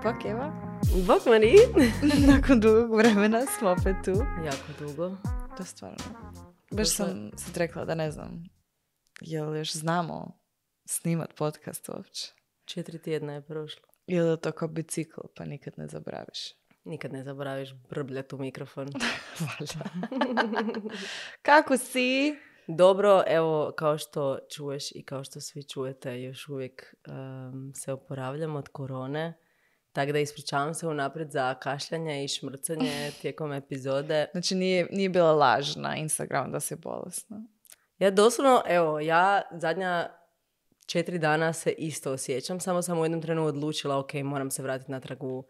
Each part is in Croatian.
Bok, Eva. Bok, Mari. Nakon dugog vremena smo opet tu. Jako dugo. To stvarno. Baš sam sad rekla da ne znam, jel još znamo snimat podcast uopće? 4 tjedna je prošlo. Ili je to kao bicikl, pa nikad ne zaboraviš? Nikad ne zaboraviš brbljat u mikrofon. Valjda. Kako si? Dobro, evo, kao što čuješ i kao što svi čujete, još uvijek se oporavljam od korone. Tako da ispričavam se unaprijed za kašljanje i šmrcanje tijekom epizode. Znači nije bila laž na Instagramu da si bolesna? Ja doslovno, evo, ja zadnja 4 dana se isto osjećam. Samo sam u jednom trenu odlučila, ok, moram se vratiti natrag u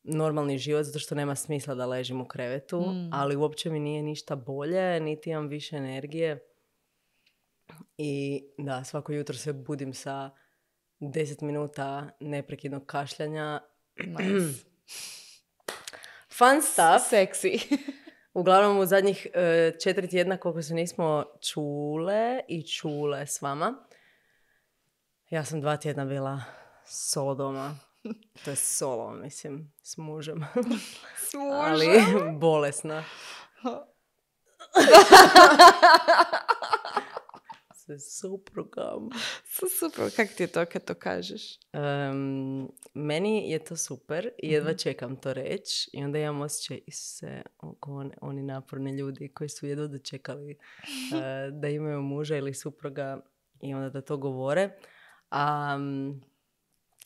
normalni život, zato što nema smisla da ležim u krevetu. Ali uopće mi nije ništa bolje, niti imam više energije. I da, svako jutro se budim sa 10 minuta neprekidnog kašljanja. Nice. Fun stuff. Seksi. Uglavnom u zadnjih 4 tjedna koliko se nismo čule s vama. Ja sam 2 tjedna bila solo doma. To je solo, mislim, s mužem. S mužem? Ali bolesna. Sa suprugom. Super, kak ti je to kad to kažeš? Meni je to super i jedva čekam to reći. I onda imam osjećaj se oko oni naporni ljudi koji su jedva dočekali da imaju muža ili supruga i onda da to govore.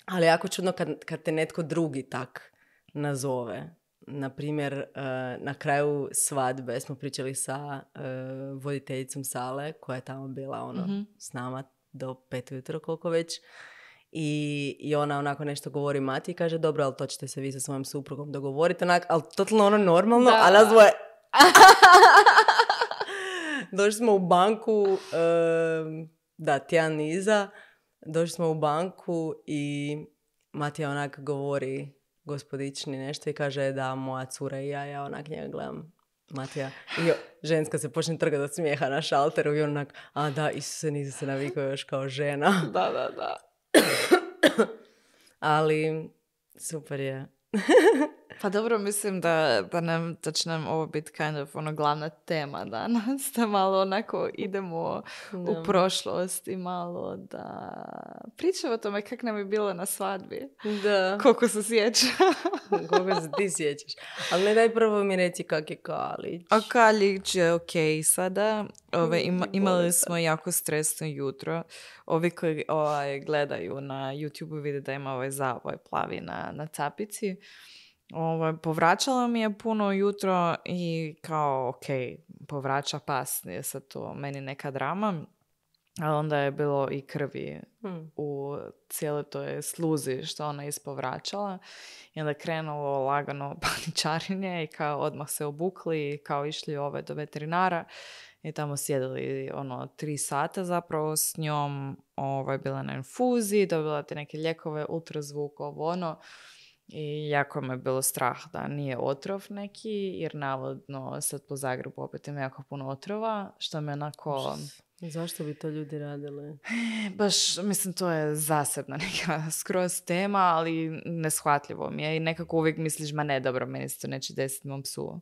Ali jako čudno kad te netko drugi tak nazove. Naprimjer, na kraju svadbe smo pričali sa voditeljicom sale koja je tamo bila s nama do 5 ujutro koliko već. I ona onako nešto govori Mati i kaže dobro, ali to ćete se vi sa svojom suprugom dogovoriti. Ali totalno normalno, a nas dvoje... Došli smo u banku, tjedan iza, došli smo u banku i Matija onak govori gospodični nešto i kaže da moja cura i ja onak njega gledam Matija. I ženska se počne trgati od smijeha na šalteru i onak, a da, Isuse, nisi se navikao još kao žena. Da. Ali super je. Pa dobro, mislim da će nam ovo biti kind of glavna tema danas, da malo onako idemo u prošlost i malo da pričamo o tome kako nam je bilo na svadbi. Da. Koliko se sjeća. Koliko se ti sjećaš. Ali ne daj prvo mi reći kak je Kalić. A Kalić je okej sada. Imali smo jako stresno jutro. Ovi koji gledaju na YouTube vide da ima ovaj zavoj plavi na capici. Povraćala mi je puno jutro i kao, ok, povraća pas, nije sad to meni neka drama, ali onda je bilo i krvi u cijeloj toj sluzi što ona ispovraćala i onda je krenulo lagano paničarenje i kao odmah se obukli i kao išli do veterinara i tamo sjedili 3 sata zapravo s njom, bila na infuziji, dobila te neke lijekove, ultrazvuk, i jako me bilo strah da nije otrov neki, jer navodno sad po Zagrebu opet ima jako puno otrova, što me onako... Zašto bi to ljudi radili? Baš, mislim, to je zasebna neka skroz tema, ali neshvatljivo mi je i nekako uvijek misliš, ma ne, dobro, meni se to neće desiti mom psu.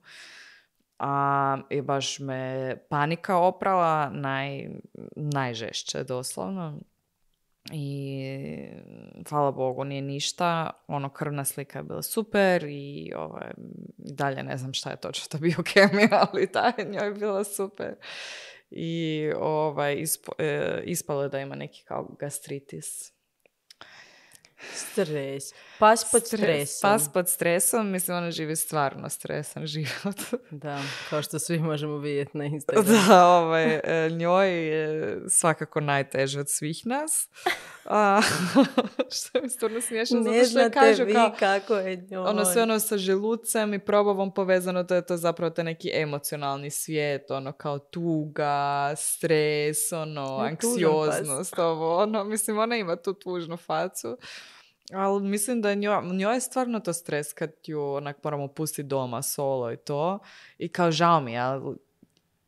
I baš me panika oprala, najžešće doslovno. I hvala Bogu nije ništa, krvna slika je bila super i dalje ne znam šta je točno ta biokemija, ali ta je njoj bila super i ispalo je da ima neki kao gastritis. Stres. Pas pod stresom. Pas pod stresom, mislim ona živi stvarno stresan život. Da, kao što svi možemo vidjeti na Instagramu. Da, njoj je svakako najteže od svih nas. Što mi stvarno smiješno, zato što je kažu kako je njoj. Sve sa želucem i probavom povezano, to je to zapravo taj neki emocionalni svijet, kao tuga, stres, anksioznost, mislim, ona ima tu tužnu facu. Ali mislim da njoj je stvarno to stres kad ju onak moramo pustiti doma solo i to. I kao žao mi, ali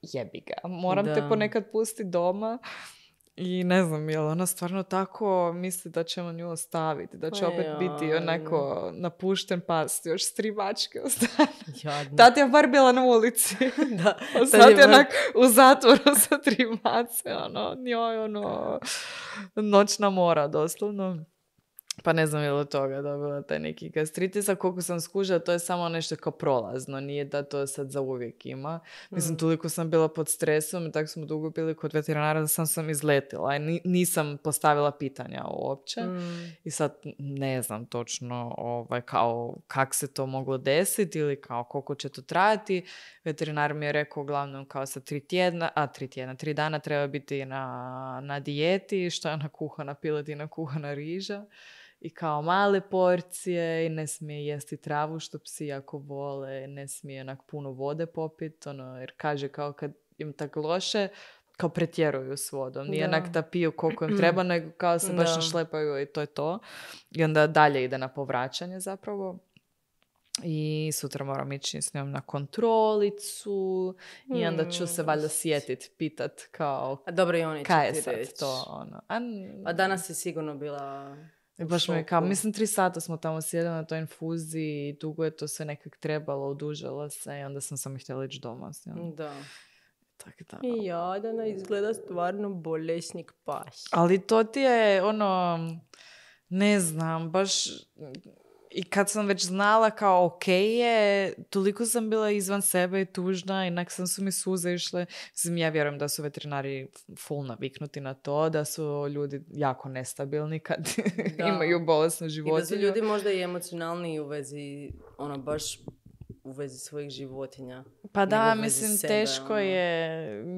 jebi ga. Moram te ponekad pustiti doma. I ne znam, je li ona stvarno tako misli da ćemo nju ostaviti, da će opet biti onako napušten pas, još s 3 mačke ostane. Tad je bar bila na ulici. Da, sad je onak u zatvoru sa 3 mace, njoj noćna mora, doslovno. Pa ne znam je li od toga dobila taj neki gastritis, a koliko sam skužila, to je samo nešto kao prolazno, nije da to sad za uvijek ima. Mislim, toliko sam bila pod stresom i tako smo dugo bili kod veterinara da sam izletila i nisam postavila pitanja uopće. I sad ne znam točno kao kak se to moglo desiti ili kao koliko će to trajati. Veterinar mi je rekao uglavnom kao sa 3 dana treba biti na dijeti, što je kuhana piletina, kuhana riža. I kao male porcije i ne smije jesti travu što psi jako vole, ne smije onak puno vode popiti, jer kaže kao kad im tako loše, kao pretjeruju s vodom. Nije onak da piju koliko im treba, nego kao se baš našlepaju i to je to. I onda dalje ide na povraćanje zapravo. I sutra moram ići s njom na kontrolicu i onda ću se valjda sjetit, pitat kao dobro, i oni kaj je ti sad reći. to. A danas je sigurno bila... I baš mi kao, mislim 3 sata smo tamo sjedili na toj infuziji i dugo je to sve nekak trebalo, odužalo se i onda sam htjela ići doma. Da. Tak da. I Jadana izgleda stvarno bolesnik pas. Ali to ti je ne znam, baš i kad sam već znala kao ok je, toliko sam bila izvan sebe i tužna i inak su mi suze išle. Mislim, ja vjerujem da su veterinari full naviknuti na to, da su ljudi jako nestabilni kad imaju bolesnu životinju. I da su ljudi možda i emocionalni u vezi, baš u vezi svojih životinja. Pa da, mislim, sebe, teško je,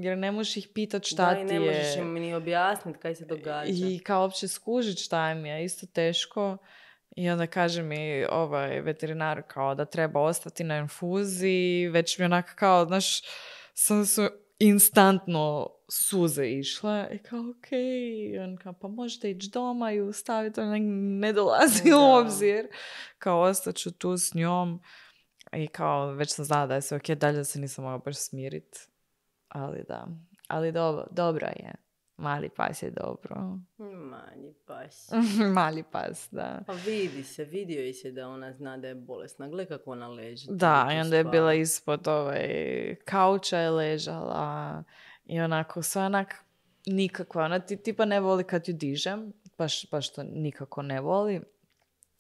jer ne možeš ih pitat šta ti je. Da, i ne možeš im ni objasniti kaj se događa. I kao uopće skužit šta im je, isto teško. I onda kaže mi veterinar kao da treba ostati na infuziji, već mi onako kao, znaš, sam su instantno suze išle i kao okej. On kao, pa možete ići doma i ustaviti, ne dolazi u obzir. Kao ostaću tu s njom i kao već sam znala da je sve okej, dalje se nisam mogla baš smiriti. Ali da, ali dobro je. Mali pas je dobro. Mali pas. Mali pas, da. Pa vidio je se da ona zna da je bolesna. Gle kako ona leži. Da, i onda je bila ispod kauča je ležala i onako sve onak nikakva. Ona tipa ne voli kad ju dižem, baš to nikako ne voli.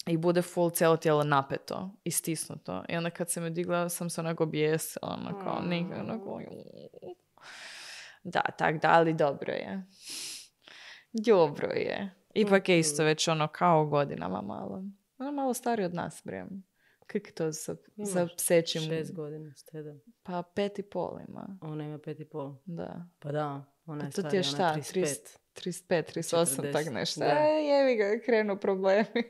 I bude full cijelo tijelo napeto i stisnuto. I onda kad se me digla sam se onako bijesila, onako nikako. Da, tak da, ali dobro je. Dobro je. Ipak je isto već kao godinama malo. Ona malo stariji od nas, brem. Kako je to sa psećim? 6 godina, 7. Pa 5,5 ima. Ona ima 5,5. Da. Pa da, ona je starija, to ti je šta? 35. 35, 38, 40. tak nešto. Da. Jevi ga, krenu problemi.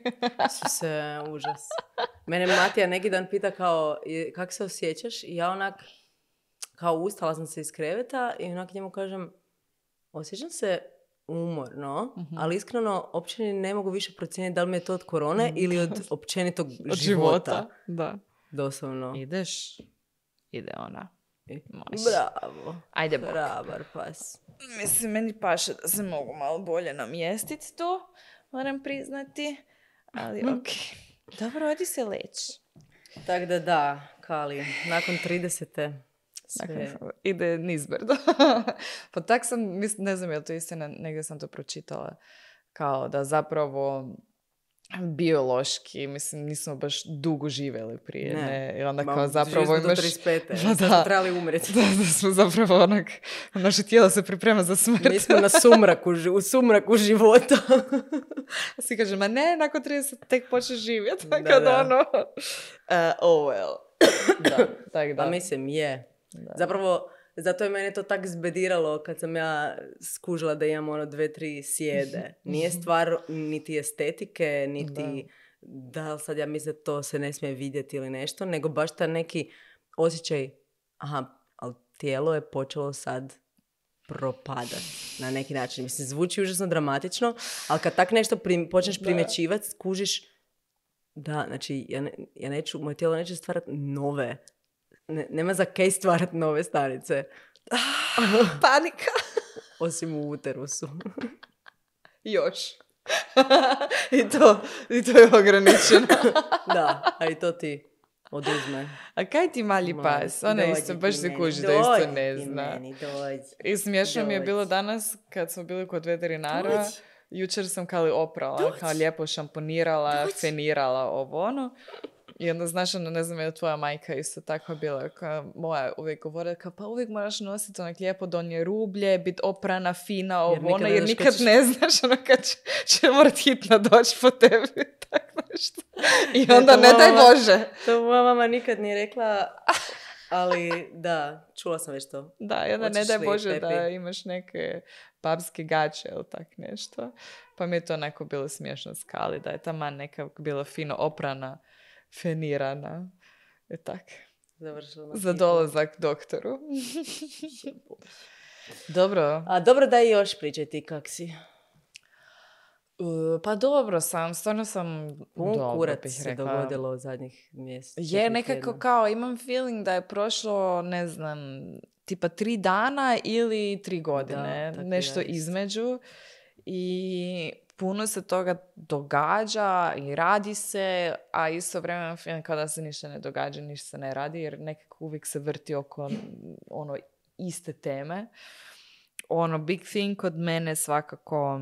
Su se užas. Mene Matija neki dan pita kao, kako se osjećaš? I ja onak, kao ustala sam se iz kreveta i onak njemu kažem, osjećam se umorno, ali iskreno uopće ne mogu više procijeniti da li mi je to od korone ili od općenitog života. Da. Doslovno. Ideš? Ide ona. Bravo. Ajde bok. Hrabar pas. Mislim, meni paše da se mogu malo bolje namjestiti to, moram priznati. Ali okej. Dobro, odi se leći. Tako da, Kali, nakon 30. sve... Ide nizbrdo. Pa tak sam, ne znam je li to istina, negdje sam to pročitala, kao da zapravo biološki, mislim, nismo baš dugo živjeli prije, ne? I onda kao zapravo imaš... do 35. Da smo trebali umreti. Da smo zapravo naše tijelo se priprema za smrt. Mi smo u sumraku života. Svi kaže, ma ne, nakon 30 tek počeš živjeti. Kad oh well. Da, tak da. Pa mislim, je. Da. Zapravo, zato je mene to tak zbediralo kad sam ja skužila da imam 2-3 sjede. Nije stvar niti estetike, niti da sad ja mislim da to se ne smije vidjeti ili nešto, nego baš ta neki osjećaj, ali tijelo je počelo sad propadati na neki način. Mislim, zvuči užasno dramatično, ali kad tak nešto počneš primjećivati, skužiš da, znači, moje tijelo neće stvarati nove. Nema za kaj stvarati nove stanice. Panika. Osim u uterusu. Još. I to je ograničeno. Da, a i to ti oduzme. A kaj ti mali pas? Ona isto, baš se kuži da isto ne zna. I smiješno mi je bilo danas kad smo bili kod veterinara. Jučer sam kao oprala, kao lijepo šamponirala, fenirala ovo ono. I onda znaš, ono, ne znam, je tvoja majka isto tako bila, kao moja uvijek govorila, kao pa uvijek moraš nositi onak lijepo donje rublje, biti oprana, fina, ovo ono, jer nikad ne znaš ono kad će morat hitno doći po tebi, tako nešto. I onda ne daj Bože. To moja mama nikad nije rekla, ali da, čula sam već to. Da, i onda ne daj Bože da imaš neke babske gače ili tak nešto. Pa mi je to onako bilo smiješno skali, da je taman neka bila fino oprana, fenirana. I tak. Za dolazak doktoru. Dobro. A dobro, da i još pričaj ti kak si. Pa dobro sam, stvarno sam dobro kurac bih se rekla. dogodilo u zadnjih mjesec. Je nekako kao, imam feeling da je prošlo, ne znam, tipa 3 dana ili 3 godine. Da, nešto između. I puno se toga događa i radi se, a istovremeno feeling kao da se ništa ne događa, ništa se ne radi, jer nekako uvijek se vrti oko ono iste teme. Ono, big thing kod mene svakako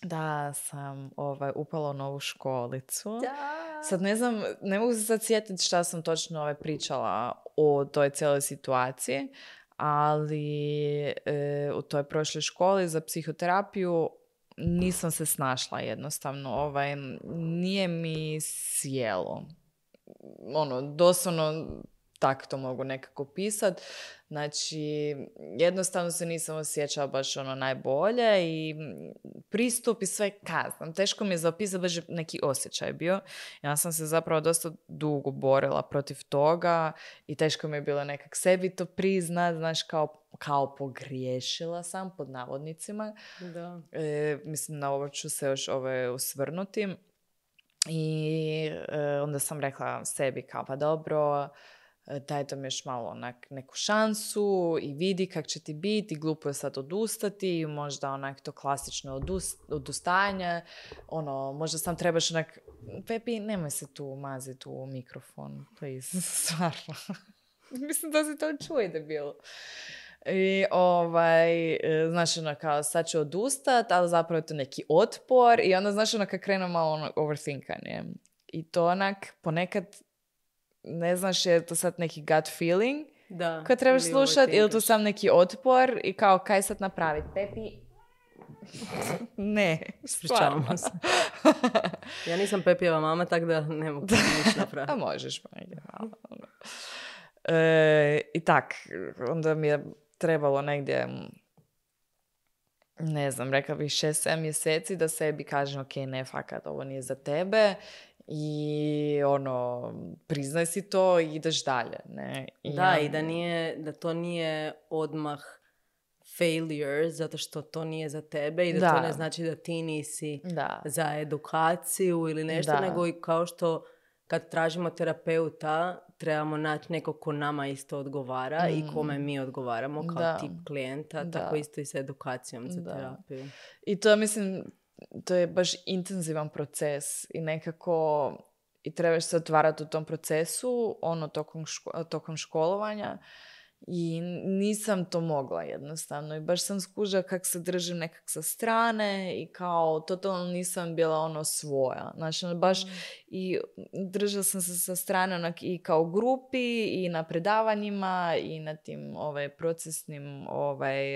da sam upala u novu školicu. Da. Sad ne znam, ne mogu se sad sjetiti šta sam točno pričala o toj cijeloj situaciji, ali u toj prošloj školi za psihoterapiju nisam se snašla jednostavno. Nije mi sjelo. Ono, doslovno tak to mogu nekako pisat. Znači, jednostavno se nisam osjećala baš ono najbolje i pristup i sve kaznam. Teško mi je zapisati, baš neki osjećaj bio. Ja sam se zapravo dosta dugo borila protiv toga i teško mi je bilo nekak sebi to priznat, znaš, kao pogriješila sam, pod navodnicima. Da. Mislim, na ovo ću se još osvrnuti. I onda sam rekla sebi kao, pa dobro, daj to mi još malo onak neku šansu i vidi kak će ti biti, glupo je sad odustati, možda onak to klasično odustajanje, ono, možda sam trebaš onak, Pepi, nemoj se tu maziti u mikrofon, please, stvarno. Mislim da se to čuje debil. I znaš, ono, kao sad ću odustat, ali zapravo je to neki otpor i onda, znaš, ono, kad krenu malo ono, overthinkanje. I to onak, ponekad ne znaš je to sad neki gut feeling koji trebaš slušati ili to sam neki otpor i kao kaj sad napraviti. Pepi, ne, stvarno. Se. Ja nisam Pepijeva mama, tako da ne mogu ništa napraviti. A možeš, pa negdje malo. I tak, onda mi je trebalo negdje, ne znam, rekla bih 6-7 mjeseci da sebi kažem, ok, ne, fakat, ovo nije za tebe. I ono, priznaj si to i ideš dalje, ne? I da to nije odmah failure, zato što to nije za tebe i da to ne znači da ti nisi za edukaciju ili nešto, nego i kao što kad tražimo terapeuta, trebamo naći nekog ko nama isto odgovara i kome mi odgovaramo kao tip klijenta, tako isto i sa edukacijom za terapiju. I to, mislim, to je baš intenzivan proces i nekako i trebaš se otvarati u tom procesu, ono, tokom školovanja i nisam to mogla jednostavno i baš sam skužila kak se držim nekak sa strane i kao totalno nisam bila ono svoja. Znači, baš i držala sam se sa strane onak i kao grupi i na predavanjima i na tim procesnim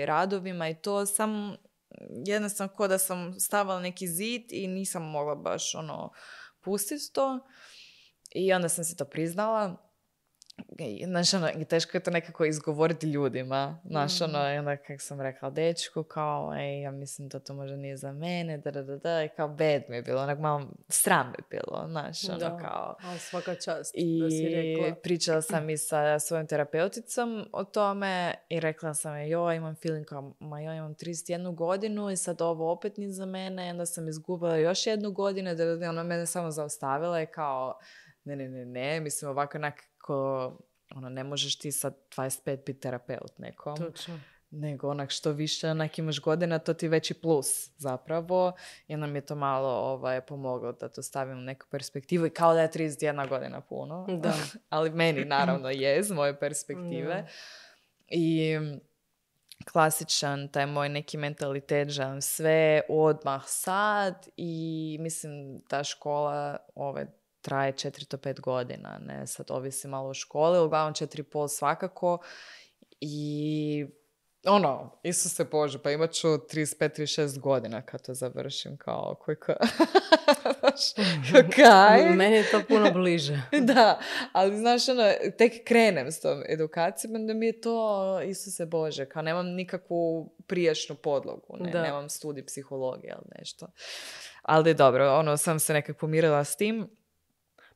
radovima i to sam jednostavno ko da sam stavila neki zid i nisam mogla baš ono pustiti to i onda sam se to priznala. Znaš, ono, teško je to nekako izgovoriti ljudima. Znaš, ono, i onda kako sam rekla dečku, kao, ja mislim da to možda nije za mene, i kao bed mi je bilo, onak malo sram mi je bilo, znaš, ono, kao. A svaka čast I da si rekla. pričala sam i sa svojim terapeuticom o tome i rekla sam je, imam feeling kao, imam 31 godinu i sad ovo opet nije za mene, onda sam izgubila još 1 godinu, ona mene samo zaustavila i kao, ne, mislim ovako onako, ono, ne možeš ti sad 25 biti terapeut nekom. Točno. nego onak što više onak imaš godina, to ti veći plus zapravo. I nam je to malo pomoglo da to stavim u neku perspektivu. I kao da je 31 godina puno. Da. Ali meni naravno je iz moje perspektive. Da. I klasičan taj moj neki mentalitet, želim sve odmah sad i mislim ta škola traje 4 do 5 godina, ne, sad ovisi malo o školi, uglavnom 4,5 svakako i Isuse Bože, pa imat ću 35-36 godina kad to završim, kao kaj? Meni je to puno bliže. Da, ali znaš, tek krenem s tom edukacijom, onda mi je to, Isuse Bože, kao nemam nikakvu prijašnju podlogu, nemam studij psihologije ili nešto. Ali dobro, sam se nekako pomirila s tim.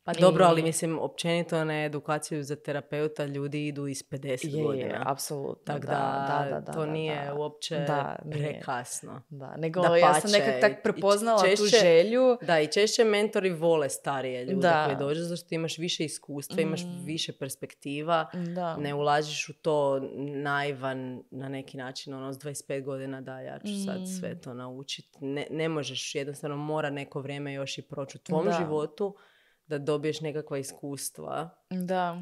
Pa dobro, ali mislim, općenito na edukaciju za terapeuta ljudi idu iz 50 godina. Je, apsolutno. Tako da, to nije uopće prekasno. Da, nego ja sam nekak tak prepoznala tu želju. Da, i češće mentori vole starije ljude koji dođu, zato što imaš više iskustva, imaš više perspektiva, ne ulaziš u to naivan na neki način, s 25 godina da ja ću sad sve to naučiti. Ne možeš, jednostavno mora neko vrijeme još i proći u tvom životu, da dobiješ nekakva iskustva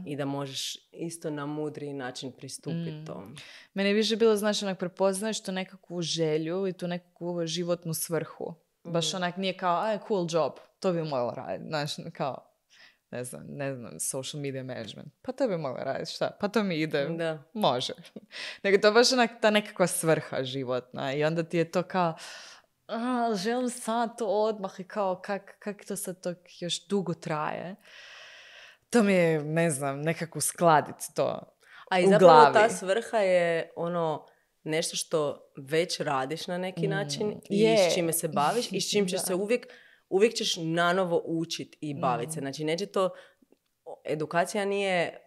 i da možeš isto na mudriji način pristupiti tom. Meni je više bilo onak prepoznaš tu nekakvu želju i tu nekakvu životnu svrhu. Baš onak nije kao, cool job, to bi mogla raditi. Znaš, kao, ne znam, social media management. Pa to bi mogla raditi, šta? Pa to mi ide, može. Nego to baš onak ta nekakva svrha životna i onda ti je to kao, želim sad to odmah i kao kak to sad to još dugo traje. To mi je, ne znam, nekako skladiti to a i zapravo ta svrha je nešto što već radiš na neki način i s čime se baviš i s čim ćeš se uvijek ćeš nanovo učiti i baviti se. Znači, neće to, edukacija nije,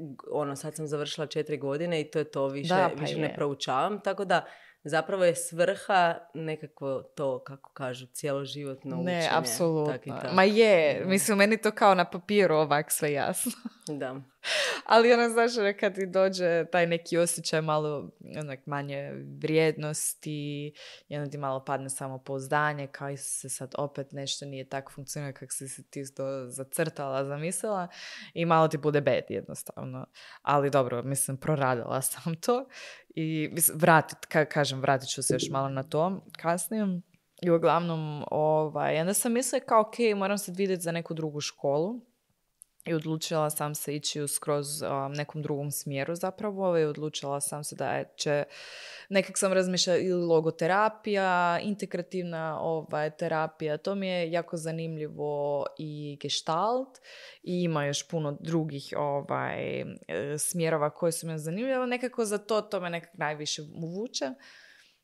sad sam završila 4 godine i to je to, više ne proučavam, tako da zapravo je svrha nekako to, kako kažu, cjeloživotno učenje. Ne, apsolutno. Ma je, mislim, meni to kao na papiru ovak sve jasno. Da. Ali znaš, kad ti dođe taj neki osjećaj malo manje vrijednosti i onda ti malo padne samopouzdanje, kao se sad opet nešto nije tako funkcionira kako si se ti to zacrtala, zamislila i malo ti bude bed jednostavno. Ali dobro, mislim, proradila sam to i vratit ću se još malo na to kasnije. I uglavnom, onda sam mislila kao, ok, moram sad vidjeti za neku drugu školu. I odlučila sam se ići u skroz nekom drugom smjeru zapravo i odlučila sam se da će, nekak sam razmišljala ili logoterapija, integrativna terapija, to mi je jako zanimljivo i gestalt i ima još puno drugih smjerova koji su me zanimljivi, nekako za to me nekak najviše vuče.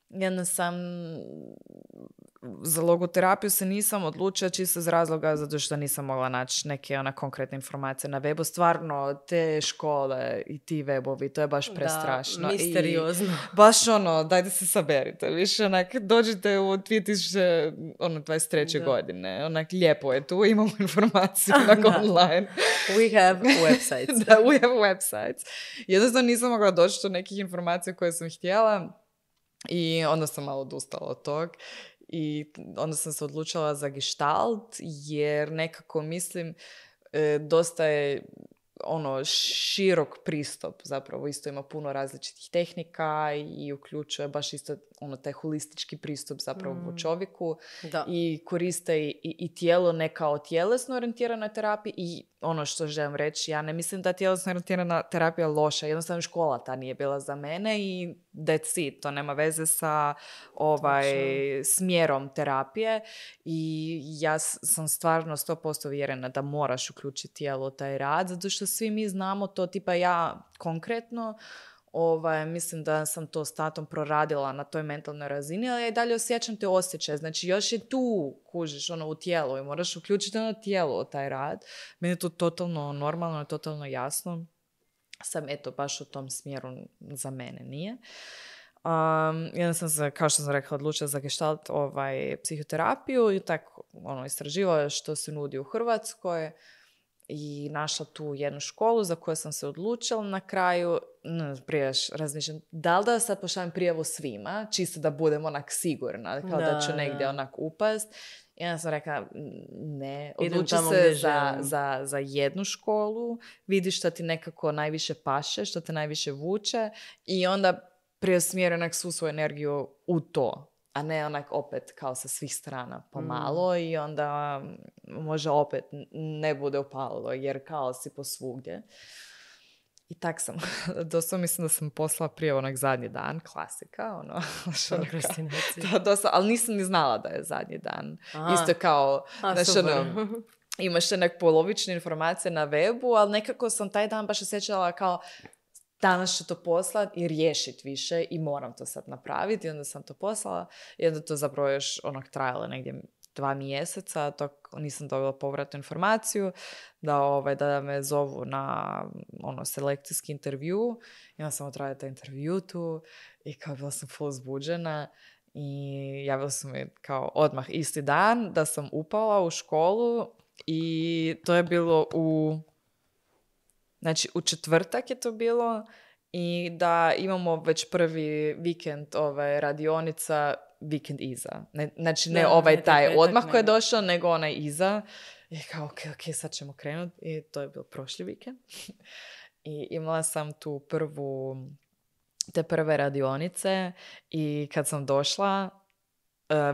Jedna sam za logoterapiju se nisam odlučila čisto iz razloga zato što nisam mogla naći neke konkretne informacije na webu. Stvarno, te škole i ti webovi, to je baš prestrašno. Da, misteriozno. I baš dajte se saberite. Više, dođite u 2023. godine. Lijepo je tu, imamo informaciju online. We have websites. Da, we have websites. Jednostavno nisam mogla doći do nekih informacija koje sam htjela. I onda sam malo odustala od tog i onda sam se odlučila za gestalt jer nekako mislim dosta je širok pristup, zapravo isto ima puno različitih tehnika i uključuje baš isto taj holistički pristup zapravo u čovjeku i koriste i tijelo ne kao tjelesno orijentirana terapija i što želim reći, ja ne mislim da tjelesno orijentirana terapija loša, jednostavno škola ta nije bila za mene i that's it, to nema veze sa smjerom terapije i ja sam stvarno 100% vjerena da moraš uključiti tijelo u taj rad, zato što svi mi znamo to, tipa ja konkretno mislim da sam to s tatom proradila na toj mentalnoj razini, ali ja i dalje osjećam te osjećaje. Znači, još je tu, kužiš, u tijelu i moraš uključiti tijelo u taj rad. Meni je to totalno normalno, totalno jasno. Sam, baš u tom smjeru za mene nije. Jedan sam se, kao što sam rekla, odlučila za gestalt psihoterapiju i tako istraživala što se nudi u Hrvatskoj. i našla tu jednu školu za koju sam se odlučila na kraju. Prije razmišljam, da li da sad pošaljem prijavu svima, čisto da budem onak sigurna, kao da ću negdje onak upast. I onda sam rekla, ne, odluči se za jednu školu, vidi što ti nekako najviše paše, što te najviše vuče i onda preusmjeri onak svu svoju energiju u to, a ne onak opet kao sa svih strana pomalo i onda može opet ne bude upalilo jer kao si posvugdje. I tak sam, doslovno mislim da sam poslala prije onak zadnji dan, klasika, ono, ali nisam ni znala da je zadnji dan. Isto kao, imaš nek polovične informacije na webu, ali nekako sam taj dan baš osjećala kao danas ću to poslati i riješiti više i moram to sad napraviti. I onda sam to poslala i onda to zapravo još onak trajalo negdje 2 mjeseca, to nisam dobila povratnu informaciju da me zovu na selekcijski intervju. I onda sam odradila taj intervju tu i kao bila sam full zbuđena i javila su mi kao odmah isti dan da sam upala u školu i to je bilo u četvrtak je to bilo i da imamo već prvi vikend radionica vikend iza. Znači ne taj odmah koji je došao, nego onaj iza. I kao, ok, sad ćemo krenuti. I to je bilo prošli vikend. I imala sam tu te prve radionice i kad sam došla,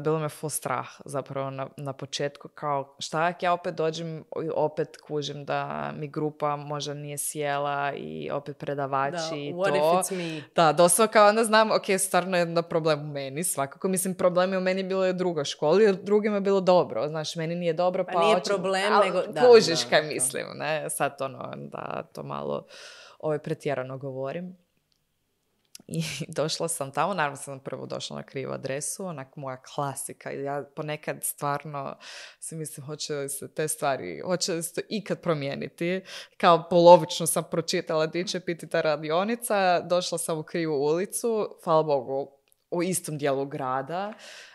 bilo me full strah zapravo na početku, kao šta ako ja opet dođem i opet kužim da mi grupa možda nije sjela i opet predavači i to. What if it's me? Da, doslovno kao onda znam, ok, stvarno je problem u meni, svakako. Mislim, problem je u meni bilo i u drugoj školi, jer drugima je bilo dobro. Znaš, meni nije dobro, pa nije problem, nego... Kužiš kaj mislim, ne? Sad da to malo pretjerano govorim. I došla sam tamo, naravno sam prvo došla na krivu adresu, onak moja klasika. Ja ponekad stvarno si mislim, hoće li se te stvari, hoće li se to ikad promijeniti. Kao polovično sam pročitala di će biti ta radionica, došla sam u krivu ulicu, hvala Bogu, u istom dijelu grada,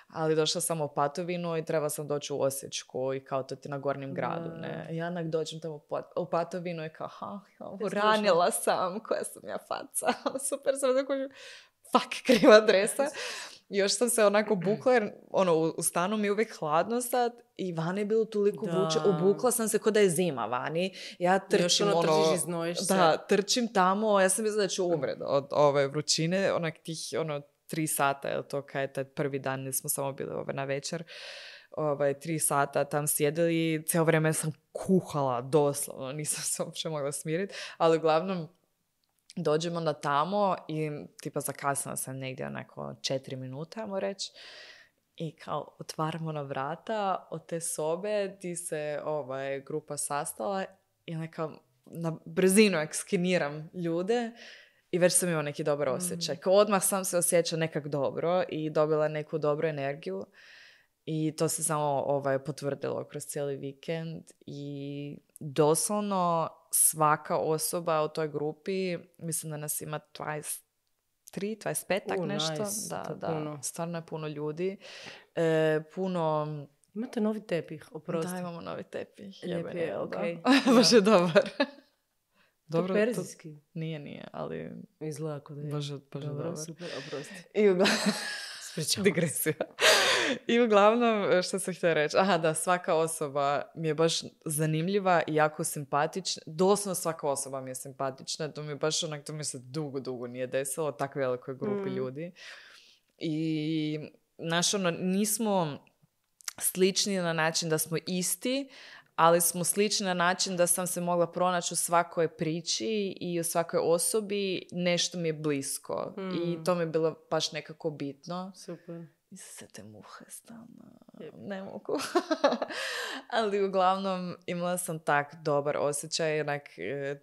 ali došla sam u Patovinu i treba sam doći u Osječku i kao to ti na Gornjem gradu, ne. Ja onak dođem tamo u Patovinu i kao, uranila sam, koja sam ja faca. Super sam tako, fuck, kriva adresa. Još sam se onako bukla, jer u stanu mi je uvijek hladno sad i vani je bilo toliko vruće. Obukla sam se ko da je zima vani. Ja trčim, trčiš i znojiš se. Da, trčim tamo, ja sam mislila da ću umret od ove vrućine, onak tih, 3 sata, je to kaj je taj prvi dan, nismo samo bili na večer, 3 sata tam sjedili, cijelo vrijeme sam kuhala, doslovno, nisam se uopće mogla smiriti, ali uglavnom dođemo na tamo i tipa zakasnila sam negdje onako 4 minute, ajmo reći, i kao otvaramo na vrata od te sobe gdje se grupa sastala i onako na brzinu skeniram ljude. I već sam imala neki dobar osjećaj. Kao odmah sam se osjećala nekak dobro i dobila neku dobru energiju. I to se samo potvrdilo kroz cijeli vikend. I doslovno svaka osoba u toj grupi, mislim da nas ima 23, 25, tak nešto. Nice. Da, puno. Stvarno je puno ljudi. Imate novi tepih, oprosti. Da, imamo novi tepih. Lijep je, okej. Baš je dobar. Dobro, to perzijski? Nije, ali... Izgleda kod je. Baš dobro. Super, oprosti. I uglavnom... Digresija. I uglavnom, što sam htjela reći? Da, svaka osoba mi je baš zanimljiva i jako simpatična. Doslovno svaka osoba mi je simpatična. To mi je baš to mi se dugo nije desilo, tako velikoj grupi ljudi. I, nismo slični na način da smo isti, ali smo slični na način da sam se mogla pronaći u svakoj priči i u svakoj osobi, nešto mi je blisko. I to mi je bilo baš nekako bitno. Super. I se te muhe stalno, ne mogu. Ali uglavnom imala sam tak dobar osjećaj,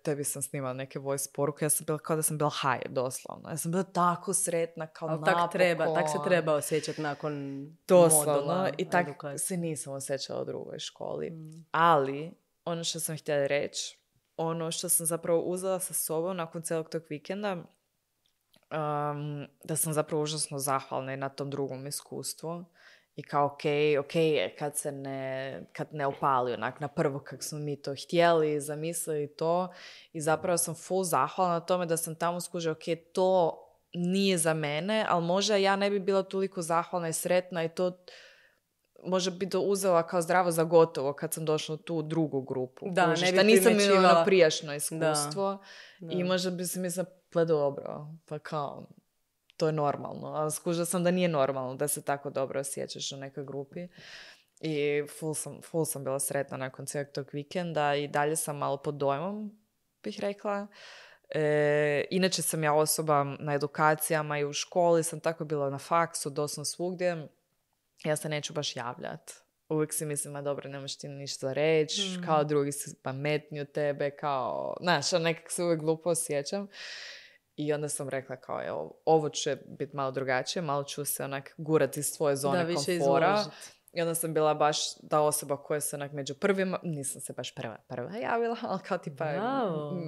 tebi sam snimala neke voice poruke, ja sam bila kao da sam bila high, doslovno. Ja sam bila tako sretna, kao ali napokon. Tak se treba osjećati nakon doslovno. I tak se nisam osjećala u drugoj školi. Ali, ono što sam htjela reći, ono što sam zapravo uzela sa sobom nakon cijelog tog vikenda, da sam zapravo užasno zahvalna i na tom drugom iskustvu I kao ok je kad ne opali onak na prvo kak smo mi to htjeli, zamislili to. I zapravo sam full zahvalna na tome da sam tamo skužila, ok, to nije za mene, ali možda ja ne bi bila toliko zahvalna i sretna i to možda bi to uzela kao zdravo za gotovo kad sam došla u tu drugu grupu. Da, kužiš, ne bi da nisam imala primjećivala. ono prijašnjo iskustvo Da. i možda bi se mislila, pa dobro, pa kao, to je normalno. Ali skužila sam da nije normalno da se tako dobro osjećaš u nekoj grupi. I full sam bila sretna nakon cijelog tog vikenda i dalje sam malo pod dojmom, bih rekla. Inače sam ja osoba na edukacijama i u školi sam tako bila na faksu, doslovno svugdje. Ja se neću baš javljati. Uvijek si mislim, a dobro, nemaš ti ništa reći, kao drugi si pametniji od tebe, kao, znaš, nekak se uvijek glupo osjećam. I onda sam rekla kao, evo, ovo će biti malo drugačije, malo ću se onak gurati iz svoje zone komfora. Izložiti. I onda sam bila baš ta osoba koja se onak među prvima, nisam se baš prva javila, ali kao tipa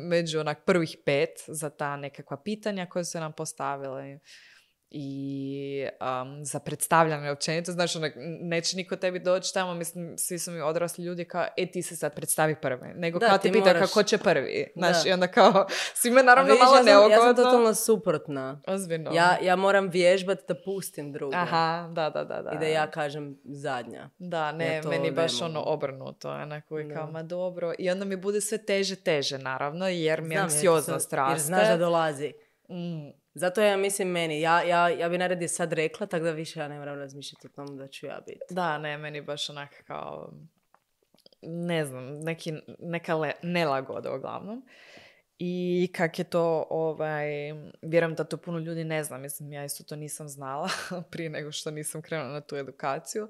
među onak prvih 5 za ta nekakva pitanja koje su nam postavile. I za predstavljanje općenito, znači neće niko tebi doći tamo, mislim, svi su mi odrasli ljudi kao, ti se sad predstavi prvi, nego kao ti pita kako će prvi, znači, i onda kao, svima naravno malo neugodno. Ja sam totalno suprotna. Ozbiljno. Ja moram vježbati da pustim druge. Aha, da. I da ja kažem zadnja. Da, ne, meni baš ono obrnuto, onako i kao, ma dobro, i onda mi bude sve teže, naravno, jer mi anksioznost raste. Jer znaš da dolazi. Zato ja mislim meni, ja bi naredje sad rekla, tako da više ja ne moram razmišljati o tom da ću ja biti. Da, ne, meni baš onak kao, ne znam, neka nelagoda uglavnom. I kak je to, vjerujem da to puno ljudi ne zna, mislim, ja isto to nisam znala prije nego što nisam krenula na tu edukaciju.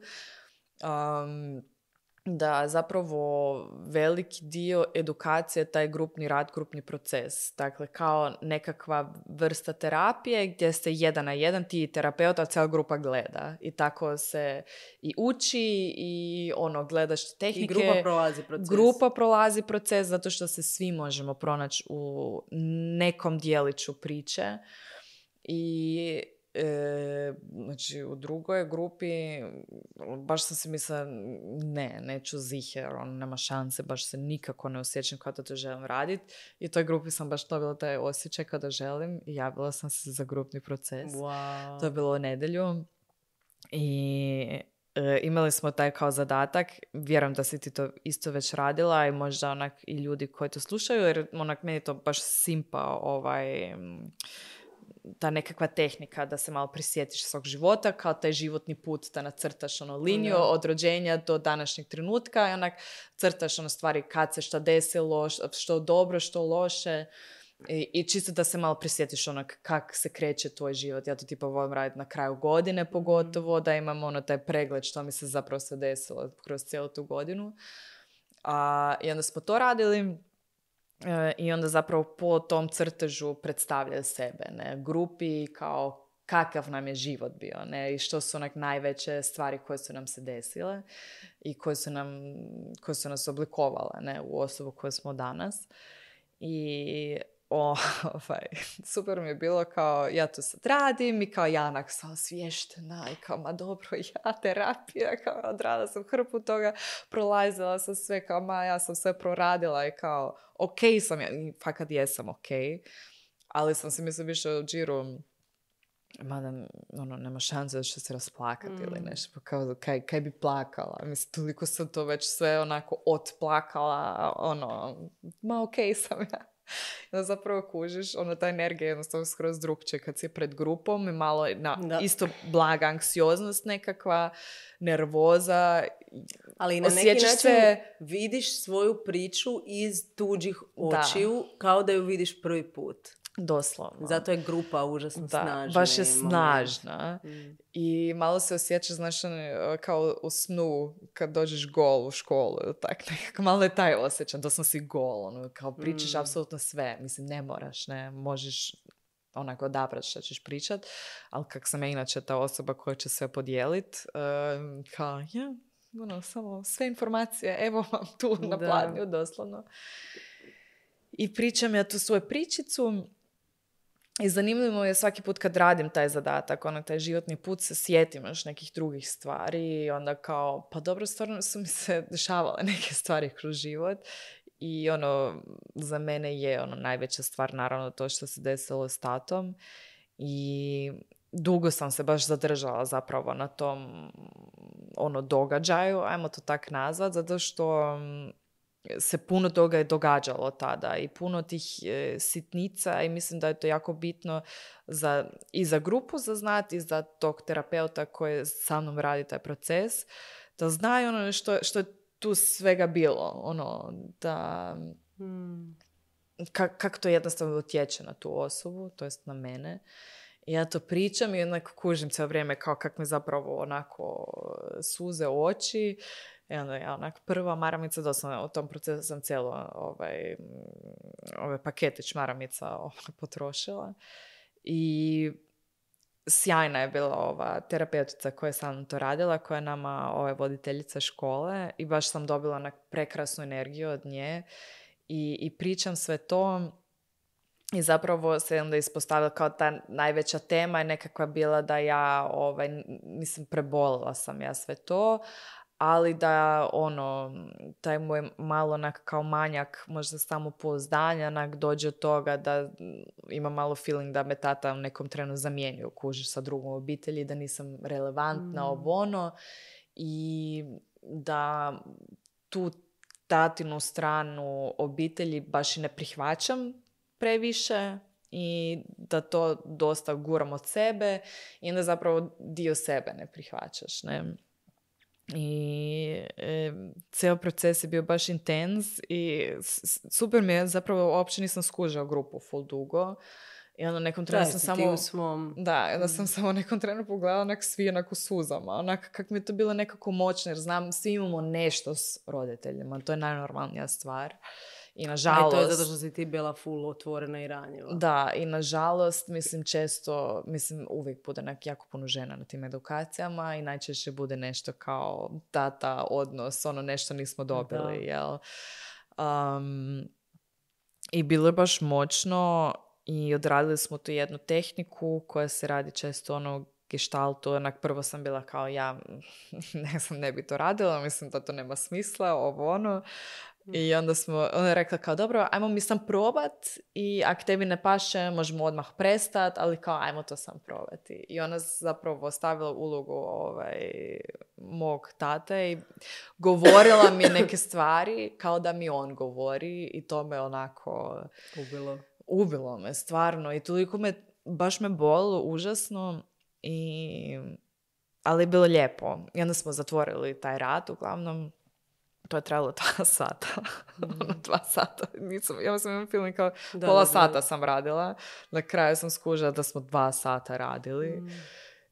Da zapravo veliki dio edukacije je taj grupni rad, grupni proces. Dakle, kao nekakva vrsta terapije gdje ste 1 na 1, ti i terapeut, a cijela grupa gleda. I tako se i uči i gledaš tehnike. I grupa prolazi proces. Grupa prolazi proces zato što se svi možemo pronaći u nekom dijeliću priče. I znači u drugoj grupi baš sam si mislila neću ziher, nema šanse, baš se nikako ne osjećam kao da to želim raditi i u toj grupi sam baš dobila taj osjećaj kada želim i javila sam se za grupni proces. Wow. To je bilo u nedjelju i imali smo taj kao zadatak, vjerujem da si ti to isto već radila i možda onak i ljudi koji to slušaju, jer onak meni to baš simpa ta nekakva tehnika da se malo prisjetiš svog života, kao taj životni put da nacrtaš liniju od rođenja do današnjeg trenutka i onak crtaš stvari kad se šta desilo, što dobro, što loše i čisto da se malo prisjetiš kak se kreće tvoj život. Ja to tipa volim raditi na kraju godine pogotovo, da imam taj pregled što mi se zapravo sve desilo kroz cijelu tu godinu. I onda smo to radili. I onda zapravo po tom crtežu predstavljaju sebe, grupi kao kakav nam je život bio, i što su najveće stvari koje su nam se desile i koje su nas oblikovale, u osobu koju smo danas. I super mi je bilo kao ja to sad radim i kao ja onak sam osviještena i kao ma dobro, ja terapija, kao odradila sam hrpu toga, prolazila sam sve, kao ja sam sve proradila i kao ok sam ja, i fakat jesam ok, ali sam si mislim više u džiru mada nema šanse da će se rasplakati ili nešto, kao kaj bi plakala, mislim toliko sam to već sve onako otplakala, ma ok sam ja. Da zapravo kužiš, ta energija je jednostavno skroz drugčije kad si pred grupom i malo isto blaga anksioznost nekakva, nervoza. Ali na neki način vidiš svoju priču iz tuđih očiju kao da ju vidiš prvi put. Doslovno. Zato je grupa užasno snažna. Baš je snažna. I malo se osjećaš, znaš, kao u snu kad dođeš gol u školu. Tak, nekako malo je taj osjećaj. Doslovno si gol. Kao pričaš apsolutno sve. Mislim, ne moraš, ne. Možeš onako odabrati što ćeš pričat. Ali kak sam ja inače ta osoba koja će sve podijeliti, kao, samo sve informacije, evo vam tu na pladnju, doslovno. I pričam ja tu svoju pričicu. I zanimljivo je svaki put kad radim taj zadatak, taj životni put, se sjetim još nekih drugih stvari i onda kao, pa dobro, stvarno su mi se dešavale neke stvari kroz život i za mene je najveća stvar naravno to što se desilo s tatom i dugo sam se baš zadržala zapravo na tom događaju, ajmo to tak nazvat, zato što se puno toga je događalo tada i puno tih sitnica i mislim da je to jako bitno i za grupu za znati i za tog terapeuta koji sa mnom radi taj proces, da znaju što je tu svega bilo, da kako to jednostavno utječe na tu osobu, to jest na mene. I ja to pričam i onako kužim cijelo vrijeme kao kak mi zapravo onako suze oči. I onda ja onak prva maramica, doslovno u tom procesu sam cijelo ove paketić maramica potrošila. I sjajna je bila ova terapeutica koja je sa mnom to radila, koja je nama voditeljica škole i baš sam dobila onak prekrasnu energiju od nje i pričam sve to. I zapravo se onda ispostavila kao ta najveća tema je nekakva bila da ja, prebolila sam ja sve to, ali da taj moj malo onak kao manjak, možda samopouzdanja, onak dođe od toga da ima malo feeling da me tata u nekom trenu zamijenio, kužiš, sa drugom obitelji, da nisam relevantna i da tu tatinu stranu obitelji baš i ne prihvaćam previše i da to dosta guram od sebe i onda zapravo dio sebe ne prihvaćaš, ne? I cijel proces je bio baš intens i super mi je, zapravo uopće nisam skužila grupu full dugo i onda nekom trenu sam samo da, onda sam samo nekom trenu pogledala onak svi onak u suzama, onak kako mi je to bilo nekako moćno jer znam svi imamo nešto s roditeljima, to je najnormalnija stvar. I nažalost... to je zato što si ti bila full otvorena i ranjiva. Da, i nažalost, često, uvijek bude jako puno žena na tim edukacijama i najčešće bude nešto kao tata, odnos, nešto nismo dobili, jel? I bilo je baš moćno i odradili smo tu jednu tehniku koja se radi često gestaltu, onak prvo sam bila kao ja, ne bi to radila, mislim da to nema smisla, I onda ona je rekla kao, dobro, ajmo mi sam probat i ako tebi ne paše, možemo odmah prestat, ali kao, ajmo to sam probati. I ona zapravo ostavila ulogu mog tate i govorila mi neke stvari kao da mi on govori i to me onako... Ubilo me, stvarno. I toliko baš me bolilo, užasno. Ali je bilo lijepo. I onda smo zatvorili taj rad, uglavnom. To je trajalo 2 sata. 2 sata. Ja sam imam film kao pola sata sam radila. Na kraju sam skužila da smo 2 sata radili.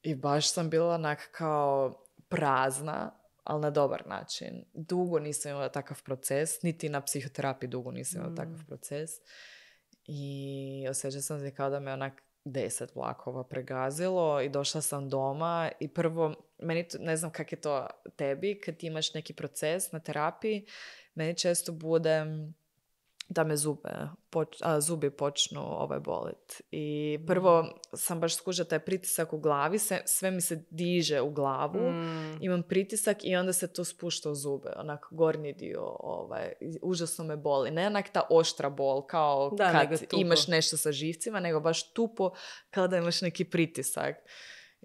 I baš sam bila onak kao prazna, ali na dobar način. Dugo nisam imala takav proces. Niti na psihoterapiji dugo nisam imala takav proces. I osjećala sam se kao da me onak 10 vlakova pregazilo i došla sam doma i prvo, ne znam kak je to tebi, kad ti imaš neki proces na terapiji, meni često bude da me zubi počnu bolit. I prvo sam baš skužila taj pritisak u glavi, sve mi se diže u glavu, imam pritisak i onda se to spušta u zube, onak gornji dio, užasno me boli. Ne onak ta oštra bol, kao kad imaš nešto sa živcima, nego baš tupo, kao da imaš neki pritisak.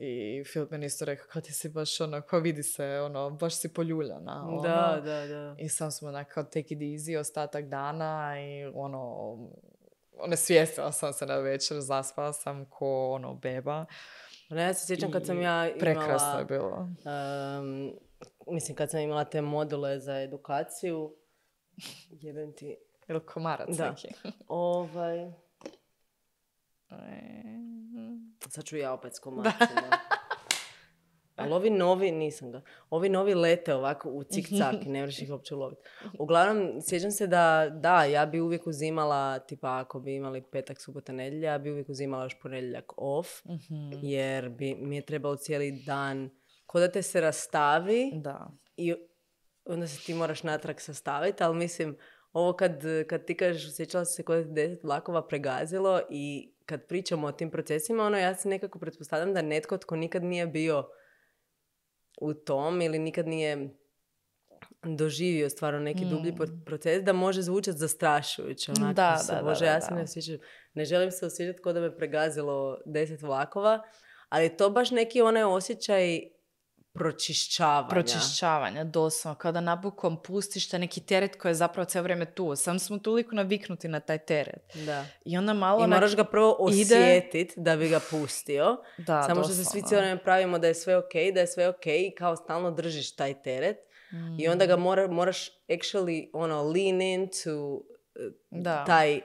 I Filip meni isto rekao, kao ti si baš kao vidi se, baš si poljuljana. Da. I sam smo kao take it easy ostatak dana i onesvijestila sam se na večer, zaspala sam ko beba. Ja se sjećam kad sam ja imala... Prekrasno je bilo. Kad sam imala te module za edukaciju, jebem ti... Ili komarac neki. Sad ću ja opet s komarcima. Ali ovi novi, nisam ga. Ovi novi lete ovako u cik-cak i ne možeš ih uopće uloviti. Uglavnom, sjećam se da, ja bi uvijek uzimala, tipa ako bi imali petak, subota, nedjelja, ja bi uvijek uzimala još ponedjeljak off, jer bi mi je trebalo cijeli dan, ko da te se rastavi i onda se ti moraš natrag sastaviti, ali mislim, ovo kad ti kažeš osjećala se kod 10 vlakova pregazilo i kad pričamo o tim procesima, ja se nekako pretpostavljam da netko tko nikad nije bio u tom ili nikad nije doživio stvarno neki dublji proces, da može zvučati zastrašujuće. Ja se ne želim se osjećati kao da me pregazilo 10 vlakova, ali je to baš neki onaj osjećaj pročišćavanja, doslovno. Kada napokon pustiš taj neki teret koji je zapravo cijelo vrijeme tu. Sam smo toliko naviknuti na taj teret. Da. I onda malo... I moraš ga prvo osjetiti da bi ga pustio. Da, samo doslovno. Što se svi cijelo vrijeme pravimo da je sve ok i kao stalno držiš taj teret. I onda ga moraš actually lean into taj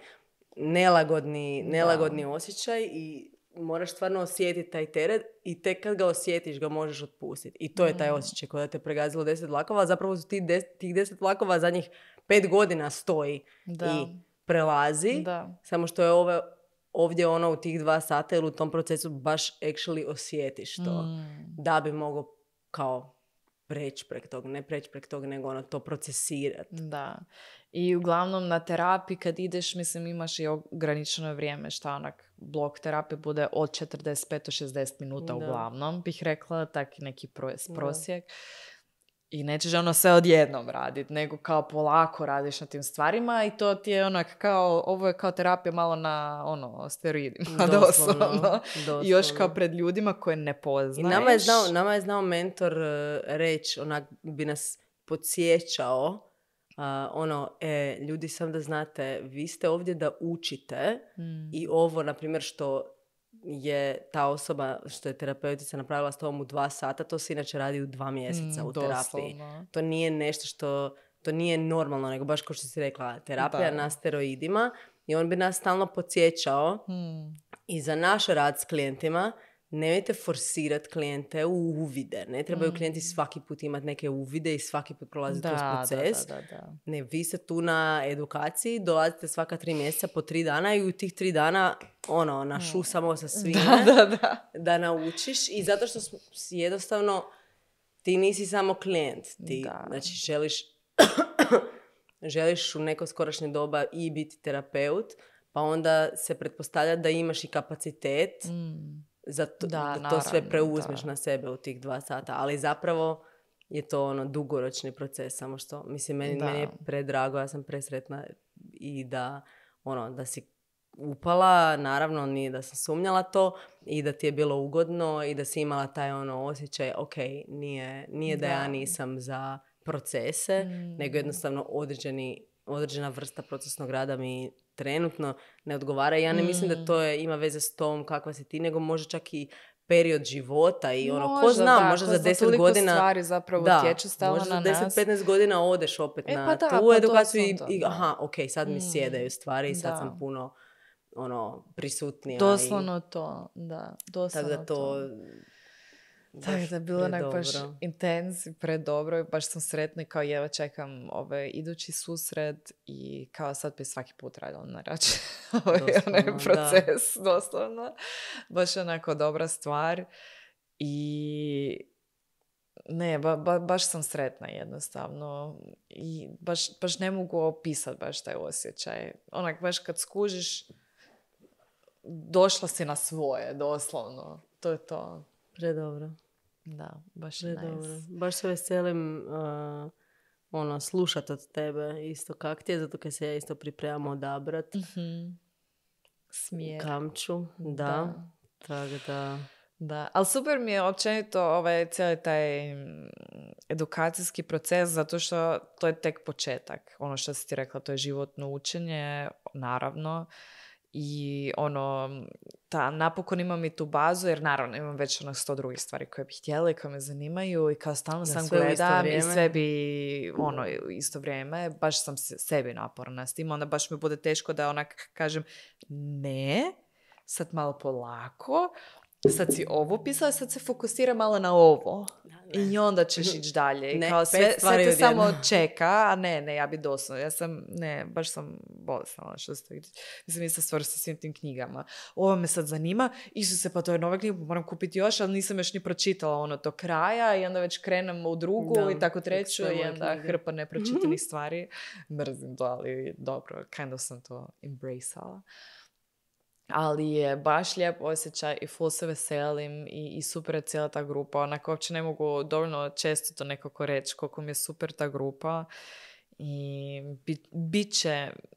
nelagodni osjećaj i moraš stvarno osjetiti taj teret i tek kad ga osjetiš ga možeš otpustiti. I to je taj osjećaj koji te pregazilo 10 vlakova, a zapravo su tih 10 vlakova zadnjih 5 godina stoji i prelazi. Da. Samo što je ovdje u tih 2 sata ili u tom procesu baš actually osjetiš to. Da bi mogao kao preći prek toga, ne preći prek toga, nego to procesirati. Da. I uglavnom na terapiji kad ideš, mislim, imaš i ograničeno vrijeme, blok terapije bude od 45 do 60 minuta uglavnom, bih rekla, taki neki prosjek. I nećeš sve odjednom raditi, nego kao polako radiš na tim stvarima i to ti je ovo je kao terapija malo na steroidima, doslovno. I još kao pred ljudima koje ne poznaješ. I nama je znao mentor reći, bi nas podsjećao, ljudi, sam da znate, vi ste ovdje da učite i ovo, na primjer, što je ta osoba, što je terapeutica napravila s tobom u 2 sata, to se inače radi u 2 mjeseca u terapiji. Doslovno. To nije nešto što, to nije normalno, nego baš kao što si rekla, terapija na steroidima i on bi nas stalno podsjećao i za naš rad s klijentima. Nemojte forsirati klijente u uvide. Ne trebaju klijenti svaki put imati neke uvide i svaki put prolaziti kroz proces. Da. Ne, vi ste tu na edukaciji, dolazite svaka 3 mjeseca po 3 dana i u tih 3 dana našusamo sa svime da naučiš. I zato što si jednostavno ti nisi samo klijent. Ti znači želiš u neko skorašnje doba i biti terapeut, pa onda se pretpostavlja da imaš i kapacitet da to sve preuzmeš na sebe u tih 2 sata. Ali zapravo je to dugoročni proces. Samo što, mislim, meni je predrago, ja sam presretna i da si upala, naravno nije da sam sumnjala to i da ti je bilo ugodno i da si imala taj osjećaj, ok, nije da ja nisam za procese, nego jednostavno određena vrsta procesnog rada mi trenutno ne odgovara. Ja ne mislim da to ima veze s tom kakva si ti, nego može čak i period života i ko zna, možda za 10 godina stvari zapravo tječu stalo na nas. Možda za 10-15 godina odeš opet na tu edukaciju i aha, ok, sad mi sjedaju stvari i sad sam puno prisutnija. Doslovno to, da. Doslovno to. Tako da je bilo baš intens i predobro i baš sam sretna i kao jedva čekam idući susret i kao sad bi svaki put radila na račun onaj proces, doslovno. Baš onako dobra stvar i ne, baš sam sretna jednostavno i baš ne mogu opisati baš taj osjećaj. Onak baš kad skužiš došla si na svoje, doslovno. To je to. Predobro. Da, baš nice. Baš se veselim slušat od tebe isto kak ti je, zato kad se ja isto pripremam odabrat. Smjer. Kamču, da. Tako da... Da, ali super mi je općenito cijeli taj edukacijski proces, zato što to je tek početak. Ono što si ti rekla, to je životno učenje, naravno. I napokon imam i tu bazu, jer naravno imam već 100 drugih stvari koje bih htjela i koje me zanimaju i kao stalno sam gledam i sve bi isto vrijeme, baš sam sebi naporna s tim, onda baš mi bude teško da onak kažem ne, sad malo polako, sad si ovo pisala, sad se fokusira malo na ovo. I onda ćeš ići dalje. I kao sve te samo čeka, a ne, ja bi doslovno. Baš sam bolesna, što se to vidi. Mislim, isto stvar sa svim tim knjigama. Ovo me sad zanima, Isuse, pa to je nova knjiga, moram kupiti još, ali nisam još ni pročitala do kraja i onda već krenem u drugu i tako treću i onda hrpa nepročitanih stvari. Mrzim to, ali dobro, kind of sam to embraceala. Ali je baš lijep osjećaj i full se veselim i super je cijela ta grupa. Onako, uopće ne mogu dovoljno često to nekako reći koliko mi je super ta grupa. I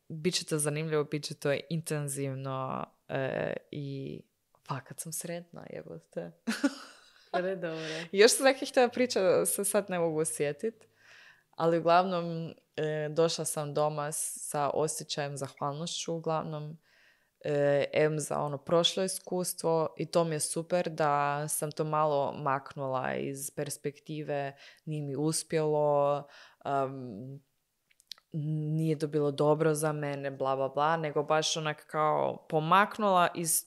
bit će to zanimljivo, bit će to intenzivno i fakat sam sretna, jebote. Još sam nekih htjela priča, se sad ne mogu osjetiti. Ali uglavnom došla sam doma sa osjećajem zahvalnošću, uglavnom za prošlo iskustvo i to mi je super da sam to malo maknula iz perspektive nije mi uspjelo, nije to bilo dobro za mene, bla bla bla, nego baš onak kao pomaknula iz